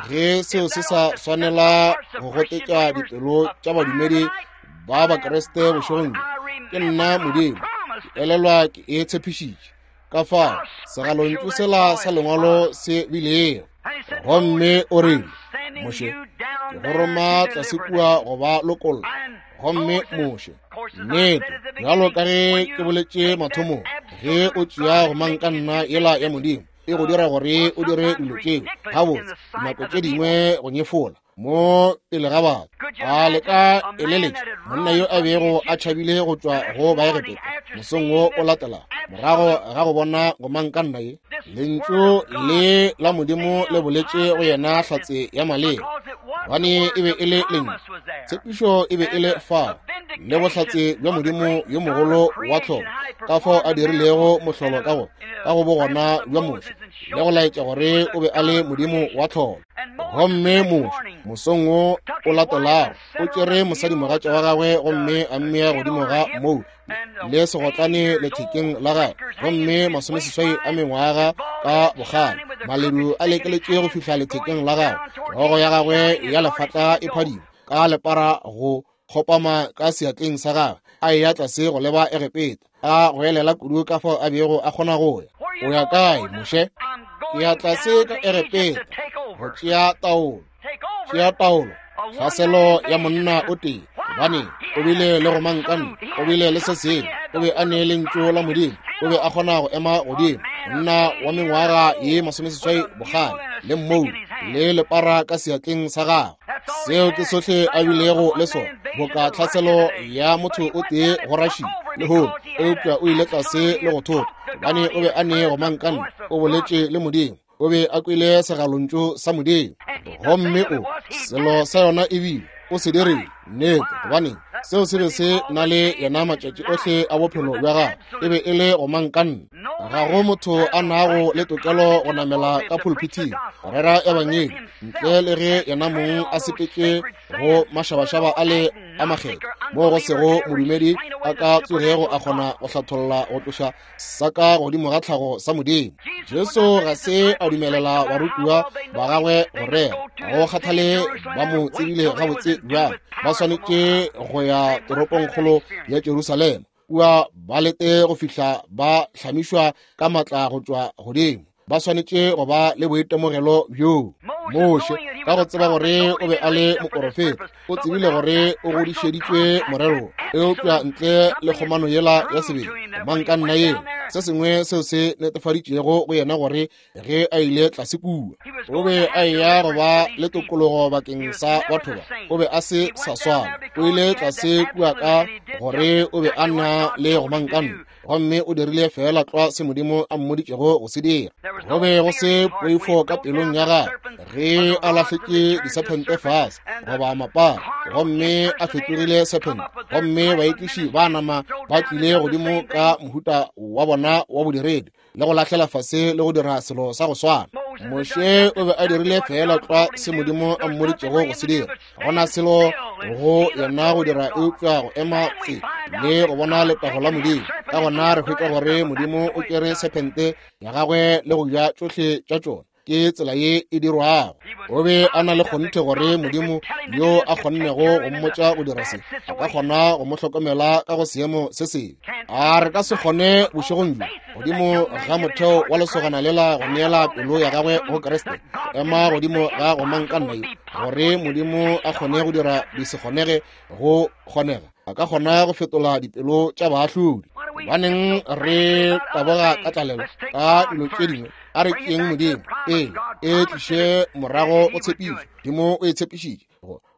ge seo se sa swanela go gotetša dipelo tša badumedi ba Bakriste bošegong bjo? Ke nna Modimo, ke elelwa ke e tshepišitše. Ka fao segalontšu sela sa lengwalo se bilego. Gomme o rile, Moshe, ke go roma tlase kua go ba lokolla. Gomme Moshe, nnete, bjalo ka ge ke boletše mathomong, ge o tšea gomangkanna yela ya Modimo, e go dira gore o dire dilo tšeo gabotse, dinako tše dingwe go nyefola mo pele ga batho. A le ka eleletša monna yo a bego a tšhabile go tšwa go Baegepeta mosong wo o latelago, morago ga go bona gomangkanna ye, lentšu le la Modimo le boletše go yena hlatse ya maleba, gobane e be e le lentšu. Tshepišo e be e le fao, le bohlatse bja Modimo yo mogolo wa tlholo, ka fao a dirilego mohlolo ka go ka go bogona bja Moshe, le go laetša gore o be a le Modimo wa tlholo. Gomme Moshe mosong wo o latelago o tšere mosadimogatša wa gagwe gomme a mmea godimo ga mou le segotlane lethekeng la gagwe, gomme masomeseswai a mengwaga ka bogale, maledu a lekeletše go fihla lethekeng la gagwe, hlogo ya gagwe ya lefatla e phadima ka lepara go kgopama ka seatleng sa gagwe, a eya tlase go leba Egepeta, a goelela kudu ka fao a bego a kgona go ya. O ya kae, Moshe? Ke ya tlase ka Egepeta go tšea taolo. Tšea taolo, tlhaselo ya monna o tee, gobane o bile le gomangkanna, o bile le se sengwe, o be a ne lentšu la Modimo, o be a kgona go ema godimo, monna wa mengwaga ye masomeseswai bogale, le mmou le lepara ka seatleng sa gagwe. Seo ke sohle a bilego le sona, boka tlhaselo ya motho o tee go Russia lehono, eupša o ile tlase le go thopa, gobane o be a ne gomangkanna, o boletše le Modimo, o be a kwele segalontšu sa Modimo. Gomme o selo sa yona ebile o se dirile, nnete, gobane seo se be se na le yena matšatši ohle a bophelo bja gagwe, e be e le gomangkanna. Ga go motho a nago le tokelo go namela ka pulpithing go rera ebangedi ntle le ge yena mong a sepetše go mašabašaba a le a makgetho, moo go sego modumedi a ka tsogego a kgona go hlatholla go tloša sa ka godimo ga tlhago sa Modimo. Jesu ga se a dumelela barutiwa ba gagwe go rera, ga go kgathale ba mo tsebile gabotse bjang, ba swanetše go ya toropongkgolo ya Jerusalema, kua ba lete go fihla ba hlamišwa ka matla go tšwa godimo. Ba swanetše go ba le boitemogelo bjoo. Moshe Ka go tseba gore o be a le moporofeta, o tsebile gore o godišeditšwe morero, eupša ntle le kgomano yela ya sebele, manka nna yela, se sengwe seo se netefaditšego go yena gore ge a ile tlase kua, o be a eya go ba le tokologo bakeng sa batho ba. O be a se sa swana. O ile tlase kua ka gore o be a na le gomankanna, gomme o dirile fela tlwa se Modimo a mmoditšego go se dira. Go be go se poifo ka pelong ya gagwe ge a lahletše disephente fase goba mapara, gomme a fetogile sephente, gomme baekiši ba nama ba tlile godimo ka mohuta wa bona wa bodiredi le go lahlela fase le go dira selo sa go swana. Moshe o be a dirile fela tlwa se Modimo a mmoditšego go se dira. Gona selo go yena go dira eupša go ema tse le go bona letago la Modimo. Ka gona re hwetša gore Modimo o tšere sephente ya gagwe le go ja tšohle tša tšona. Ke tsela ye e dirwago. O be a na le kgonthe gore Modimo yo a kgonnego go mmotša go dira se, a ka kgona go mo hlokomela ka go seemo se sebe. A re ka se kgone bošegong bjo godimo ga motheo wa lesogana lela go neela pelo ya gagwe go Kriste, ema godimo ga gomankanna yo, gore Modimo a kgone go dira di se kgonege go kgonega. A ka kgona go fetola dipelo tša baahlodi. Gobaneng re taboga ka tlalelo ka dilo tše dingwe? A re tšeeng Modimo pele e tliše morago go tshepišo. Modimo o e tshepišitše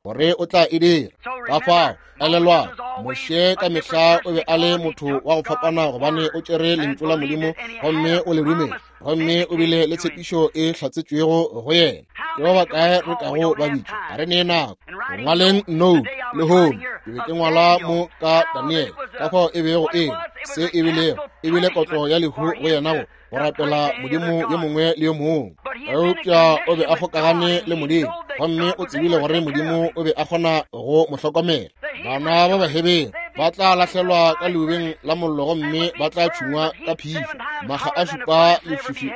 gore o tla e dira. Ka fao elelwang, Moshe ka mehla o be a le motho wa go fapana gobane o tšere lentšu la Modimo gomme o le dumela, gomme o bile le tshepišo e hlatsetšwego go yena. Ke ba bakae re kago ba bitša? Ga re nee nako. Go ngwaleng note lehono, ke be ke ngwala mo ka Daniel, ka fao e bego e se e bilego, e bile kotlo ya lehu go yena go go rapela Modimo yo mongwe le yo mongwe. Eupša o be a kgokagane le Modimo, gomme o tsebile gore Modimo o be a kgona go mo hlokomela. Bana ba Bahebere ba tla lahlelwa ka leubeng la mollo gomme ba tla tšhungwa ka phišo makga a šupa lefifi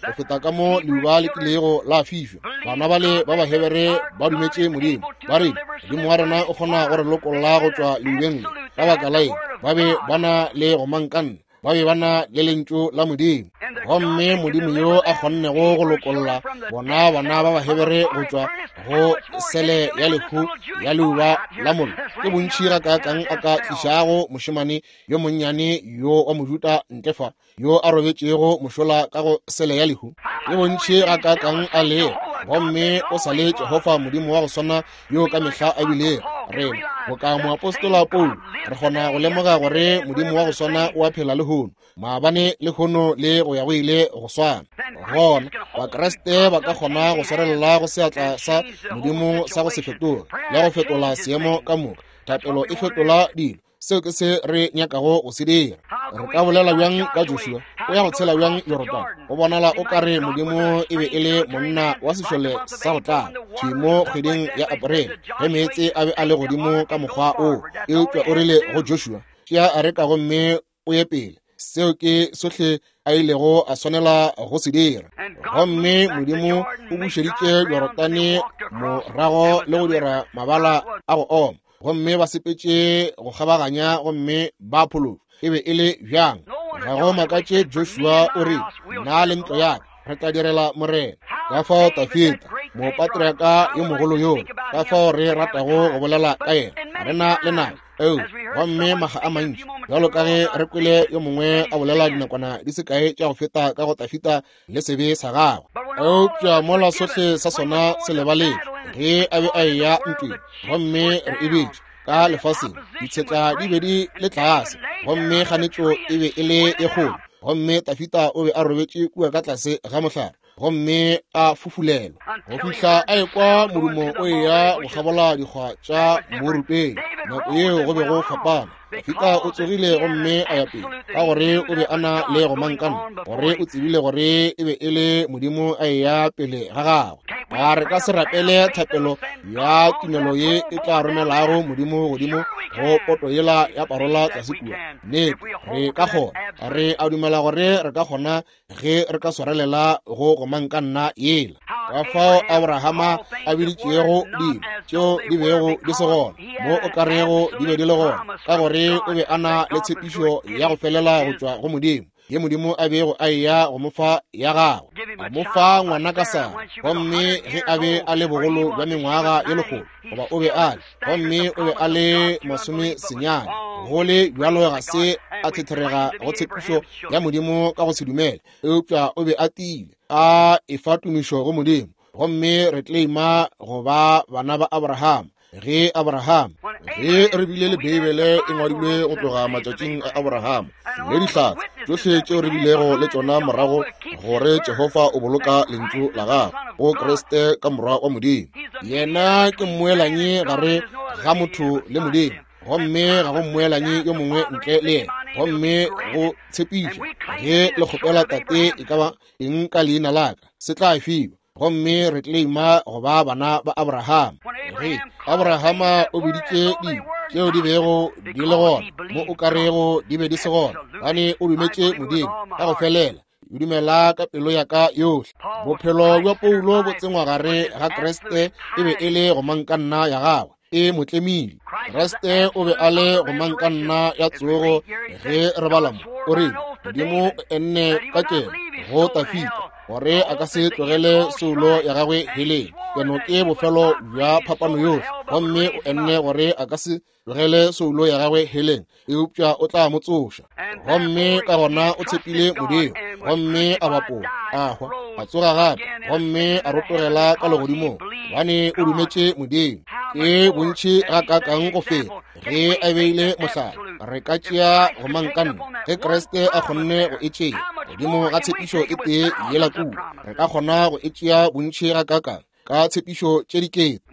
go feta ka mo leuba le kilego la fišwa. Bana bale ba Bahebere ba dumetše Modimo, ba re Modimo wa rena o kgona go re lokolla go tšwa leubeng le. Ka baka la eng? Ba be ba na le gomankanna, ba be ba na le lentšu la Modimo, gomme Modimo yo a kgonnego go lokolla bona bana ba Bahebere go tšwa go sele ya lehu ya leuba la mollo, ke bontši gakaakang a ka tlišago mošemane yo monnyane yo wa Mojuda ntle fa, yo a robetšego mošola ka go sele ya lehu. Ke bontši gakaakang a lego, gomme o sa le Jehofa Modimo wa go swana yo ka mehla a bilego. Rena boka moapostola Paulo re kgona go lemoga gore Modimo wa go swana o a phela lehono, maabane lehono le go ya go ile go swana. Gona Bakriste ba ka kgona go swarelela go seatla sa Modimo sa go se fetoge le go fetola seemo ka moka. Thapelo e fetola dilo. Seo ke se re nyakago go se dira. Re ka bolela bjang ka Joshua? O ya go tshela bjang Jorodane? Go bonala o ka re Modimo e be e le monna wa sešole sa go tlala thwi mo kgweding ya Aprele ge meetse a be a le godimo ka mokgwa oo, eupša o rile go Joshua, tšea areka gomme o ye pele. Seo ke sohle a ilego a swanela go se dira. Gomme Modimo o bušeditše Jorodane morago le go dira mabala a go oma, gomme ba sepetše go kgabaganya gomme ba phološwa. E be e le bjang? Ga go makatše Joshua o re, nna le ntlo ya ka re tla direla Morena. Ka fao Dafida mopatriaka yo mogolo yola, ka fao re ratago go bolela ka yena, ga re na le nako. Eo, gomme maga a mantši, bjalo ka ge re kwele yo mongwe a bolela dinakwana di se kae tša go feta ka go Dafida le sebe sa gagwe, eupša mola sohle sa sona se lebaletšwe ge a be a eya ntweng, gomme re e bitše ka lefaseng, ditshetla di be di le tlase, gomme kganetšo e be e le e kgolo, gomme Dafida o be a robetše kua ka tlase ga mohlare gomme a fufulelwa go fihla a ekwa modumo o eya go kgabola dikgwa tša morupeng. Nako yeo go be go fapana. Dafida o tsogile gomme a ya pele ka gore o be a na le gomankana, gore o tsebile gore e be e le Modimo a eya pele ga gagwe. A re ka se rapele thapelo ya tumelo ye e tla romelago Modimo godimo go poto yela ya parola tlase kua? Nnete, re ka kgona. Re a dumela gore re ka kgona ge re ka swarelela go gomankanna yela. Ka fao Abrahama a biditšego dilo tšeo di bego di se gona mo o ka rego di be di le gona, ka gore o be a na le tshepišo ya go felela go tšwa go Modimo, ye Modimo a bego a eya go mo fa ya gagwe. A mo fa ngwana ka Sara, gomme ge a be a le bogolo bja mengwaga ye lekgolo, goba o be a le, gomme o be a le masome senyane, go le bjalo ga se a thetherega go tshepišo ya Modimo ka go se dumele, eupša o be a tiile, a efa tumišo go Modimo. Gomme re claima go ba bana ba Abraham. Ge Abraham, ge re bile le Beibele e ngwadilwe go tloga matšatšing a Abraham, le dihlatse tšohle tšeo re bilego le tšona morago, gore Jehofa o boloka lentšu la gagwe go Kriste ka morwa wa Modimo. Yena ke mmoelanyi gare ga motho le Modimo, gomme ga go mmoelanyi yo mongwe ntle le yena. Gomme go tshepiša, ge le kgopela Tate e ka ba eng ka leina la ka, se tla fiwa. Gomme re claima go ba bana ba Abraham. Ge Abrahama o biditše dilo tšeo di bego di le gona mo o karego di be di se gona, gobane o dumetše Modimo ka go felela. O dumela ka pelo ya ka yohle. Bophelo bja Paulo bo tsengwa gare ga Kriste e be e le gomangkanna ya gagwe, e mo tlemile. Kriste o be a le gomangkanna ya tsogo. Ge re bala mo, o rile Modimo o enne ka keno go Tafita gore a ka se tlogele soulo ya gagwe heleng. Keno ke bofelo bja phapano yohle, gomme o enne gore a ka se tlogele soulo ya gagwe heleng, eupša o tla mo tsoša. Gomme ka gona o tshepile Modimo, gomme a bapola, a hwa, a tsoga gape, gomme a rotogela ka legodimong, gobane o dumetše Modimo. Ke bontši gakaakang go feta ge a beile mohlala, re ka tšea gomangkanna. Ge Kriste a kgonne go e tšea godimo ga tshepišo e tee yela kua, re ka kgona go e tšea bontši gakaakang ka tshepišo tše dikete.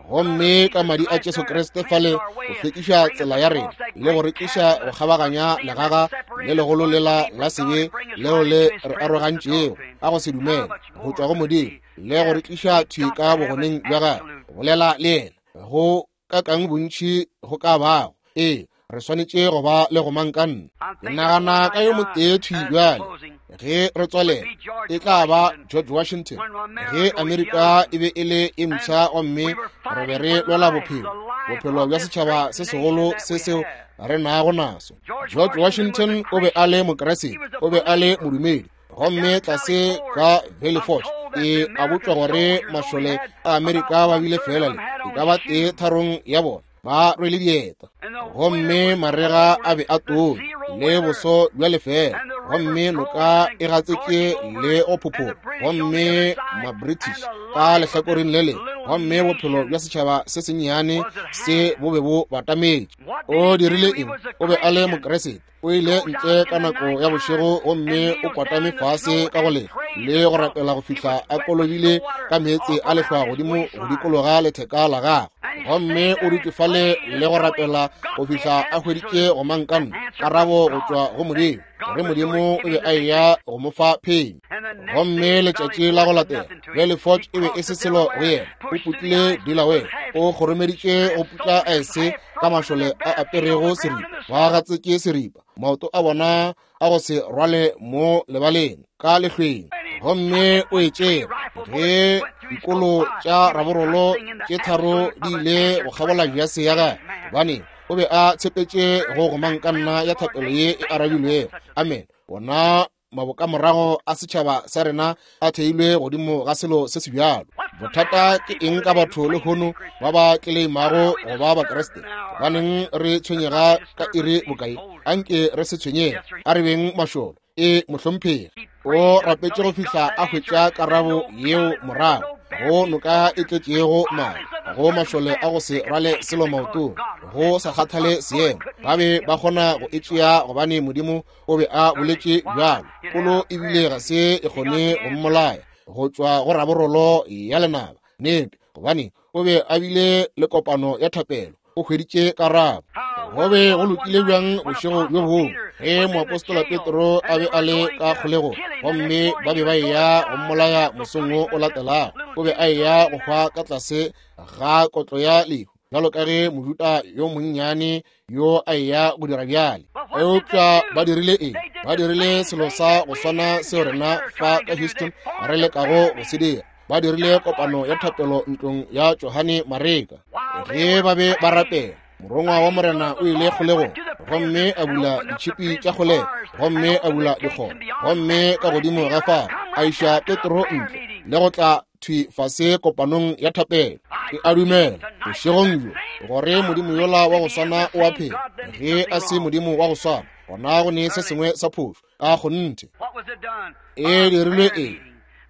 Gomme ka madi a Jesu Kriste fale go hlwekiša tsela ya rena le go rekiša go kgabaganya legaga le legolo lela la sebe leo le re arogantšego ka go se dumele go tšwa go Modimo, le go rekiša thwi ka bogoneng bja gagwe, go bolela le yena go kakang bontši go ka bago. Ee, re swanetše go ba le gomangkanna. Ke nagana ka yo motee thwi bjale ge re tswalela, e tla ba George Washington. Ge Amerika e be e le e mpsha gomme re be re lwela bophelo, bophelo bja setšhaba se segolo se seo re nago naso. George Washington o be a le Mokriste, o be a le modumedi. Gomme tlase ka Valley Forge e a botšwa gore mašole a Amerika ba bile fela le e ka ba tee tharong ya bona ba rwele dieta, gomme marega a be a tonya le boso bja lefela, gomme noka e gatsetše le go phophola, gomme ma-British ka lehlakoreng le lengwe, gomme bophelo bja setšhaba se sennyane se bo be bo batametše. O dirile eng? O be a le Mokriste. O ile ntle ka nako ya bošego gomme o kwatame fase ka go lehlwa le go rapela go fihla a kolobile ka meetse a lehlwa godimo go dikologa letheka la gagwe. Gomme o dutše fale le go rapela go fihla a hweditše gomangkanna, karabo go tšwa go Modimo, gore Modimo o be a eya go mo fa phenyo. Gomme letšatši la go latela, Valley Forge e be e se selo go yena. O putlile Delaware, o kgoromeditše go putla aese ka mašole a aperego seripa, ba gatsetše seripa, maoto a bona a go se rwale mo lebaleng ka lehlweng. Gomme o e tšere ge dikolo tša raborolo tše tharo di ile go kgabola jase ya gagwe, gobane o be a tshepetše go gomangkanna ya thapelo ye e arabilwego. Amen. Bona mabokamorago a setšhaba sa rena a theilwe godimo ga selo se se bjalo. Bothata ke eng ka batho lehono ba ba tleleimago go ba Bakriste? Gobaneng re tshwenyega ka iri bokae? Anke re se tshwenyege, a re beng mašolo. E mohlomphegi o rapetše go fihla a hwetša karabo yeo morago go noka e tletšego madi, go mašole a go se rwale selo maotong, go sa kgathale seemo. Ba be ba kgona go e tšea gobane Modimo o be a boletše bjalo. Kolo ebile ga se e kgone go mmolaya go tšwa go raborolo ya lenaba. Nnete, gobane o be a bile le kopano ya thapelo, o hweditše karabo. Go be go lokile bjang bošego bjo bongwe ge moapostola Petro a be a le ka kgolegong, gomme ba be ba eya go mmolaya mosong wo o latelago. O be a eya go hwa ka tlase ga kotlo ya lehu, bjalo ka ge Mojuda yo monnyane yo a eya go dira bjale. Eupša ba dirile eng? Ba dirile selo sa go swana seo rena fa ka Houston re lekago go se dira. Ba dirile kopano ya thapelo ntlong ya Johane Mareka. Ge ba be ba rapela, morongwa wa Morena o ile kgolegong gomme a bula ditšhipi tša kgolego, gomme a bula dikgoro, gomme ka godimo ga fao a iša Petro ntle le go tla thwi fase kopanong ya thapelo. Ke a dumela bošegong bjo gore Modimo yola wa go swana o a phela. Ge a se Modimo wa go swana, gona go ne se sengwe sa phošo ka kgonthe. E dirilwe eng?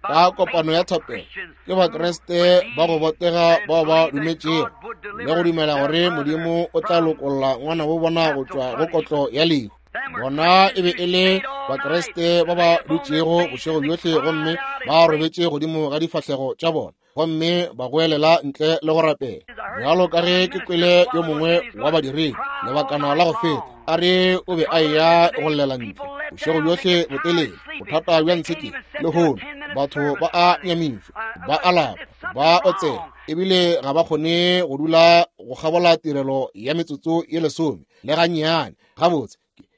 Ka kopano ya thapelo ke Bakriste ba go botega bao ba dumetšego le go dumela gore Modimo o tla lokolla ngwana bo bona go tšwa go kotlo ya lehu. Bona e be e le Bakriste ba ba dutšego bošego bjohle gomme ba robetše godimo ga difahlego tša bona gomme ba goelela ntle le go rapela. Bjalo ka ge ke kwele yo mongwe wa badiredi lebakana la go feta a re o be a eya go llela ntle bošego bjohle botelele. Bothata bja ntshe ke lehono batho ba a nyamišwa, ba a lapa, ba otsela, ebile ga ba kgone go dula go kgabola tirelo ya metsotso ye lesome le gannyane. Gabotse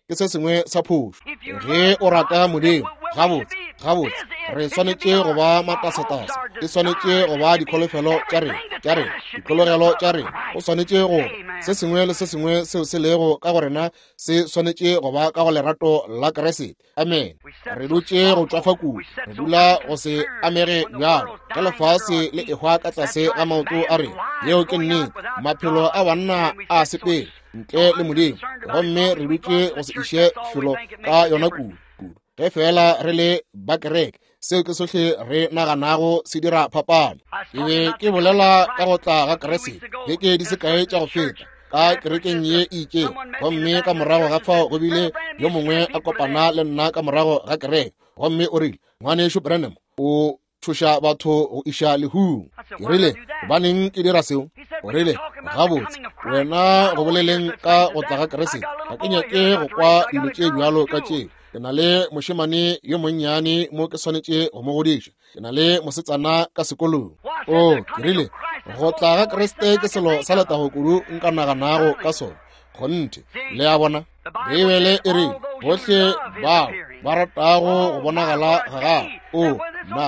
ke se sengwe sa phošo. Ge o rata Modimo, gabotse gabotse re swanetše go ba matasetase, e swanetše go ba dikholofelo tša rena tša rena ditlhologelo tša rena. O swanetše go se sengwe le se sengwe seo se lego ka go rena se swanetše go ba ka go lerato la Kriste. Amen. Re dutše go tšwafa kudu, re dula go se amege bjalo ge lefase le ehwa ka tlase ga maoto a rena. Yeo ke nnete. Maphelo a banna a sepele ntle le Modimo, gomme re dutše go se iše felo ka yona kudu kudu. Ge fela re le ba kereke, seo ke sohle re naganago se dira phapano. Ke be ke bolela ka go tla ga Kriste beke di se kae tša go feta ka kerekeng ye e itšego, gomme ka morago ga fao go bile yo mongwe a kopana le nna ka morago ga kereke, gomme o rile, Ngwanešu Branham, o tšhoša batho go iša lehung. Ke rile, gobaneng ke dira seo? O rile, gabotse wena go boleleng ka go tla ga Kriste, ga ke nyake go kwa dilo tše bjalo ka tše. Ke na le mošemane yo monnyane mo ke swanetše go mo godiša. Ke na le mosetsana ka sekolong. O, ke rile, go tla ga Kriste ke selo sa letago kudu nka naganago ka sona. Kgonthe, le a bona, Beibele e re bohle bao ba ratago go bonagala ga gagwe. O, nna,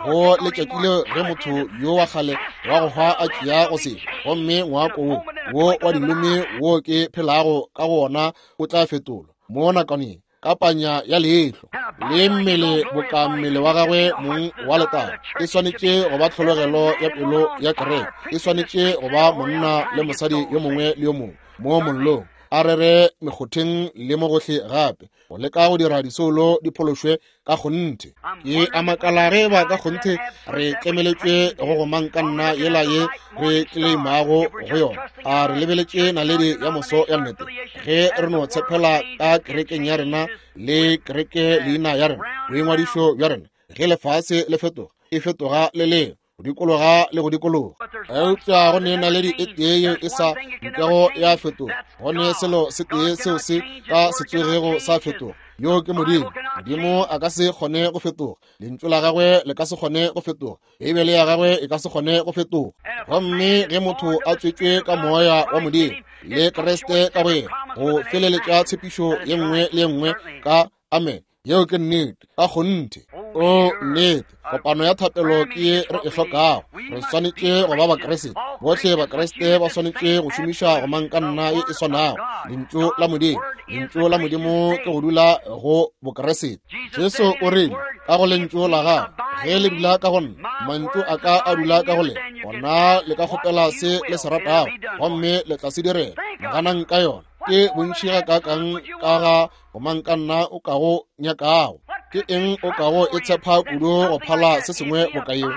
go letšatši leo ge motho yo wa kgale wa go hwa a tšea go se, gomme ngwako wo wo wa dilome wo ke phelago ka go wona o tla fetolwa mo nakwaneng ka panya ya leihlo, le mmele boka mmele wa gagwe mong wa letago. E swanetše go ba tlhologelo ya pelo ya kereke. E swanetše go ba monna le mosadi yo mongwe le yo mongwe mo mollong, a rere mekgotheng le mo gohle gape, go leka go dira disoulo di phološwe ka kgonthe. Ke a makala ge ba ka kgonthe re tlemeletšwe go gomang ka nna yela ye re tleimago go yona. A re lebeletše naledi ya moso ya nnete ge re no tshepela ka kerekeng ya rena le kereke leina ya rena, boingwadišo bja rena. Ge lefase le fetoga, e fetoga le leo go dikologa le go dikologa. Eupša go ne naledi e tee yeo e sa nkego ya fetoga, go ne selo se tee seo se ka se tsogego sa fetoga, yo ke Modimo. Modimo a ka se kgone go fetoga, lentšu la gagwe le ka se kgone go fetoga, Beibele ya gagwe e ka se kgone go fetoga. Gomme ge motho a tswetšwe ka moya wa Modimo le Kriste ka go yena, go feleletša tshepišo ye nngwe le ye nngwe ka amen. Yeo ke nnete ka kgonthe. O nnete, kopano ya thapelo ke ye re e hlokago. Re swanetše go ba Bakriste. Bohle Bakriste ba swanetše go šomiša gomang ka nna ye e swanago, lentšu la Modimo. Lentšu la Modimo ke go dula go Bokriste. Jesu o rile, ka go lentšu la gago, ge le dula ka go nna, mantšu a ka a dula ka go lena, gona le ka kgopela se le se ratago, gomme le tla se direla. Naganang ka yona. Ke bontši ga kakang ka ga gomang ka nna o kago nyakago. Ke eng o kago e tshepa kudu go phala se sengwe boka yeo?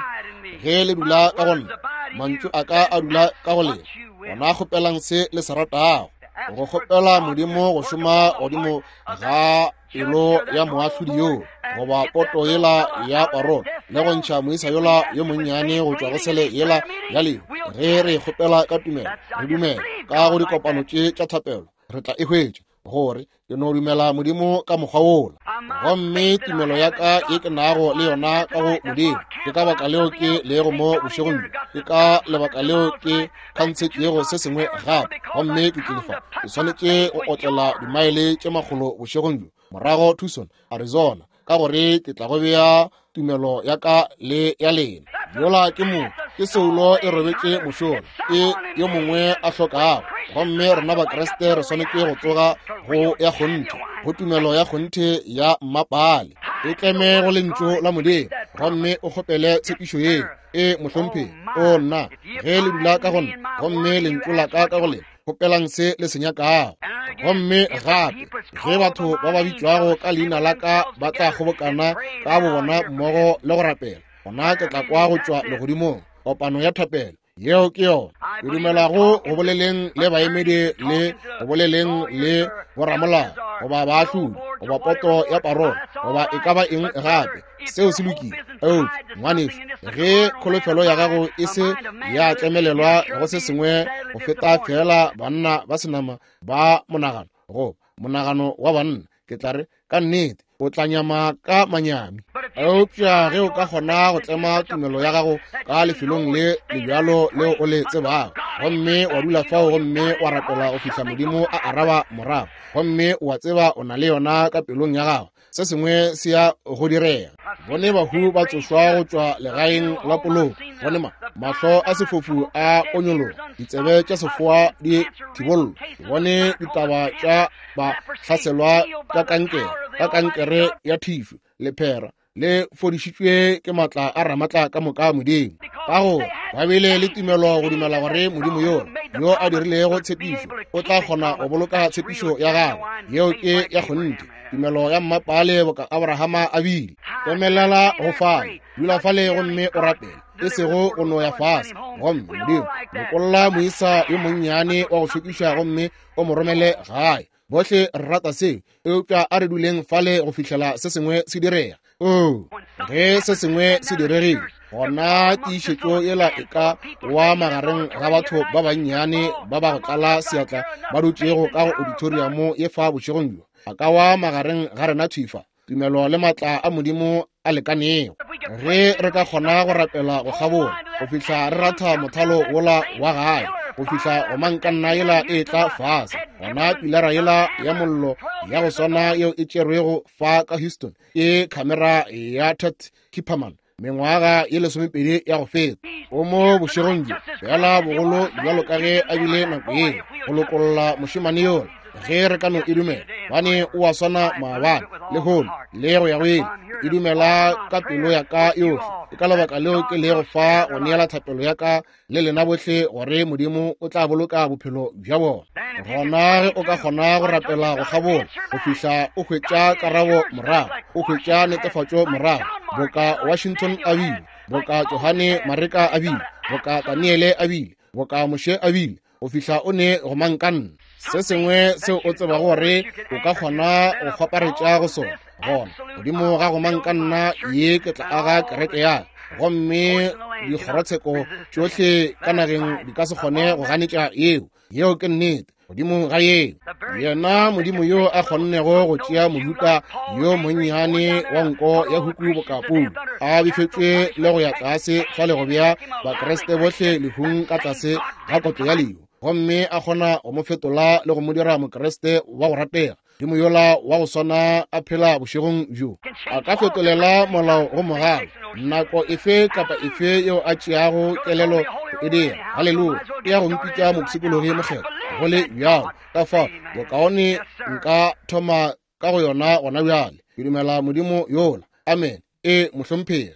Ge le dula ka go nna, mantšu a ka a dula ka go lena, gona kgopelang se le se ratago. Go kgopela Modimo go šoma godimo ga pelo ya moahlodi yoo, goba poto yela ya parole, le go ntšha moisa yola yo monnyane go tšwa go sele yela ya lehu. Ge re kgopela ka tumelo, re dumela ka go dikopano tše tša thapelo, re tla e hwetša, gore ke no dumela Modimo ka mokgwa wola. Gomme tumelo ya ka ye ke nago le yona ka go Modimo, ke ka baka leo ke lego mo bošegong bjo, ke ka lebaka leo ke khantshetšego se sengwe gape, gomme ke tlile fa. Ke swanetše go otlela dimaele tše makgolo bošegong bjo, morago Tucson, Arizona, ka gore ke tla go bea tumelo ya ka le ya lena. Yola ke mo ke soulo e robetše mošola, ke yo mongwe a hlokago. Gomme rena Bakriste re swanetše go tsoga go ya kgonthe, go tumelo ya kgonthe ya mmapale. E tleme go lentšu la Modimo gomme o kgopele tshepišo yeo. E mohlomphegi, o nna, ge le dula ka go nna gomme lentšu la ka ka go lena, kgopelang se le se nyakago. Gomme gape ge batho ba ba bitšwago ka leina la ka ba tla kgobokana ka bobona mmogo le go rapela, gona ke tla kwa go tšwa legodimong. Kopano ya thapelo, yeo ke yona. Ke dumelago go boleleng le baemedi le go boleleng le boramolao goba baahlodi goba poto ya parole goba e ka ba eng gape, seo se lokile. Eupša ngwanešu, ge kholofelo ya gago e se ya tlemelelwa go se sengwe go feta fela banna ba senama ba monagano goba monagano wa banna, ke tla re ka nnete o tla nyama ka manyami. Eupša ge o ka kgona go tlema tumelo ya gago ka lefelong le lebjalo leo o le tsebago, gomme wa dula fao gomme wa rapela go fihla Modimo a araba morago, gomme wa tseba o na le yona ka pelong ya gago, se sengwe se ya go direga. Bone bahu ba tsošwa go tšwa legaeng la poloko, bone ma mahlo a sefofu a onyologa, ditsebe tša sefoa di thibollwa, bone ditaba tša ba hlaselwa ka kankere, ka kankere ya thišu, lephera le fodišitšwe ke matla a ramatla ka moka Modimo. Ka gore ba bile le tumelo go dumela gore Modimo yola yo a dirilego tshepišo o tla kgona go boloka tshepišo ya gagwe. Yeo ke ya kgonthe, tumelo ya mmapale boka Abrahama a bile. Tlemelela go fale, dula fale gomme o rapele, e sego go no ya fase. Gomme Modimo, lokolla moisa yo monnyane wa go šokiša gomme o mo romele gae. Bohle re rata seo, eupša a re duleng fale go fihlela se sengwe se direga. Oh, ge se sengwe se diregile, gona tiišetšo yela e ka wa magareng ga batho ba bannyane ba ba go tlala seatla ba dutšego ka go auditoriamo ye fa bošegong bjo, a ka wa magareng ga rena thwifa tumelo le matla a Modimo a lekanego. Ge re ka kgona go rapela go kgabola go fihla re ratha mothalo wola wa gae, go fihla gomankanna yela e tla fase, gona pilara yela ya mollo ya go swana yeo e tšerwego fa ka Houston ke khamera ya Ted Kipperman mengwaga ye lesomepedi ya go feta, o mo bošegong bjo fela bogolo bjalo ka ge a bile nako yeo go lokolla mošemane yola. Ge re ka no e dumela, bane o a swana maabane lehono le go ya go ile. E dumela ka pelo ya ka yohle. Ke ka lebaka leo ke lego fa go neela thapelo ya ka le lena bohle gore Modimo o tla boloka bophelo bja bona. Gona ge o ka kgona go rapela go kgabola go fihla o hwetša karabo morago, o hwetša netefatšo morago, boka Washington a bile, boka Johane Mareka a bile, boka Daniele a bile, boka Moshe a bile, go fihla o ne go mankanna se sengwe seo o tsebago gore o ka kgona go kgwaparetša go sona. Gona godimo ga go mankanna ye ke tla aga kereke ya, gomme dikgorotsheko tšohle ka nageng di ka se kgone go ganetša yeo. Yeo ke nnete. Godimo ga yeo, yena Modimo yo a kgonnego go tšea mojuta yo monnyane wa nko ya huku boka Paulo a befetšwe le go ya tlase fale go bea Bakriste bohle lehung ka tlase ga kotlo ya lehu, gomme a kgona go mo fetola le go mo dira Mokriste wa go ratega, Modimo yola wa go swana a phela bošegong bjo a ka fetolela molao go mogala nako efe kapa efe yeo a tšeago kelelo go e dira. Haleluya! E ya go mpitša mopshikologi mokgethwa go le bjalo. Ka fao bokaone nka thoma ka go yona gona bjale. Ke dumela Modimo yola. Amen. E mohlomphegi.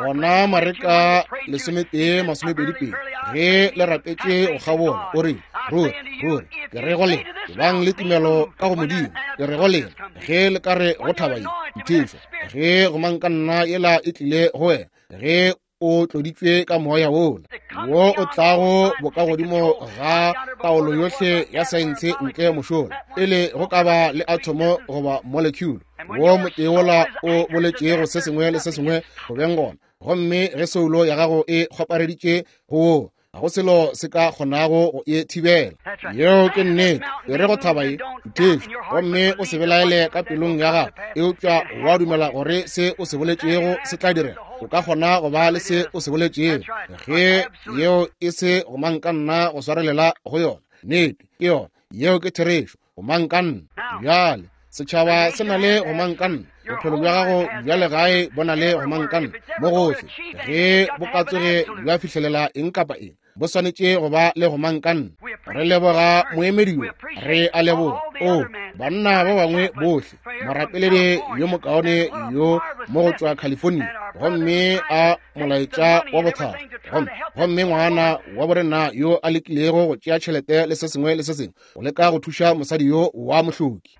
Gona Mareka lesometee masomepedi pedi, ge le rapetše go kgabola, o re, ruri ruri ke re go lena, ebang le tumelo ka go Modimo. Ke re go lena, ge le ka re go thaba ye nthišwa, ge gomankanna yela e tlile go wena, ge o tloditšwe ka moya wola wo o tlago bokagodimo ga taolo yohle ya saense ntle mošola, pele go ka ba le atomo goba molecule, wo motee wola o boletšego se sengwe le se sengwe go beng gona, gomme ge soulo ya gago e kgwapareditše go woo, ga go selo se ka kgonago go e thibela. Yeo ke nnete. E re go thaba ye nthišo, gomme o se belaele ka pelong ya gago, eupša wa dumela gore se o se boletšego se tla direga. O ka kgona go ba le se o se boletšego ge yeo e se gomankanna go swarelela go yona. Nnete ke yona. Yeo ke therešo. Gomankanna. Bjale setšhaba se na le gomankanna. Bophelo bja gago bja legae bo na le gomankanna mo gohle. Ge bo ka tsoge bja fihlelela eng kapa eng, bo swanetše go ba le gomankanna. Re leboga moemedi yo, re a leboga o banna ba bangwe bohle, morapeledi yo mokaone yo mo go tšwa California, gomme a molaetša wa bothata. Gomme, gomme ngwana wa borena yo a lekilego go tšea tšhelete le se sengwe le se sengwe go leka go thuša mosadi yo wa mohloki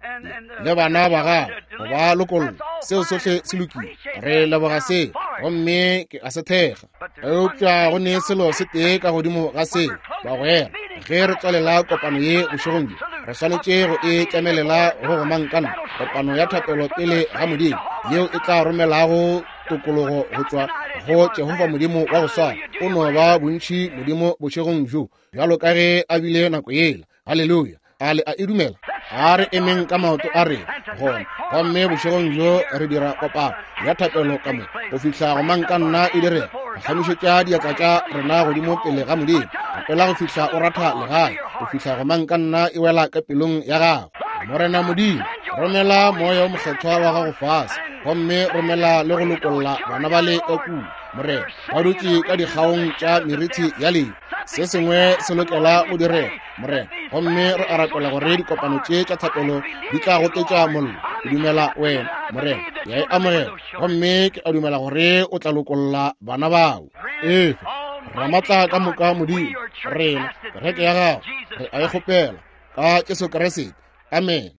le bana ba gagwe go ba lokolla. Seo sohle se lokile, re leboga seo, gomme ke a se thekga. Eupša go ne selo se tee ka godimo ga seo, bagwera. Ge re tswalela kopano ye bošegong bjo, re swanetše go e tlemelela go gomangkana, kopano ya thapelo pele ga Modimo, yeo e tla romelago tokologo go tšwa go Jehofa Modimo wa go swana. O no ba bontši Modimo bošegong bjo bjalo ka ge a bile nako yela. Haleluya! A le a e dumela? A re emeng ka maoto a rena gona, gomme bošegong bjo re dira kopano ya thapelo ka mo go fihla gomangkanna e direga. Kgamišetša diatla tša rena godimo pele ga Modimo. Rapela go fihla o ratha legae, go fihla gomangkanna e wela ka pelong ya gago. Morena Modimo, romela moya o mokgethwa wa gago fase, gomme romela le go lokolla bana ba le ka kua, Morena, ba dutše ka dikgaong tša meriti ya lehu. Se sengwe se lokela go direga, Morena, gomme re a rapela gore dikopano tše tša thapelo di tla gotetša mollo. Ke dumela wena, Morena, ke a e amogela, gomme ke a dumela gore o tla lokolla bana bao. Efe Ramatla ka moka Modimo, rena kereke ya gago re a e kgopela ka Jesu Kriste. Amen.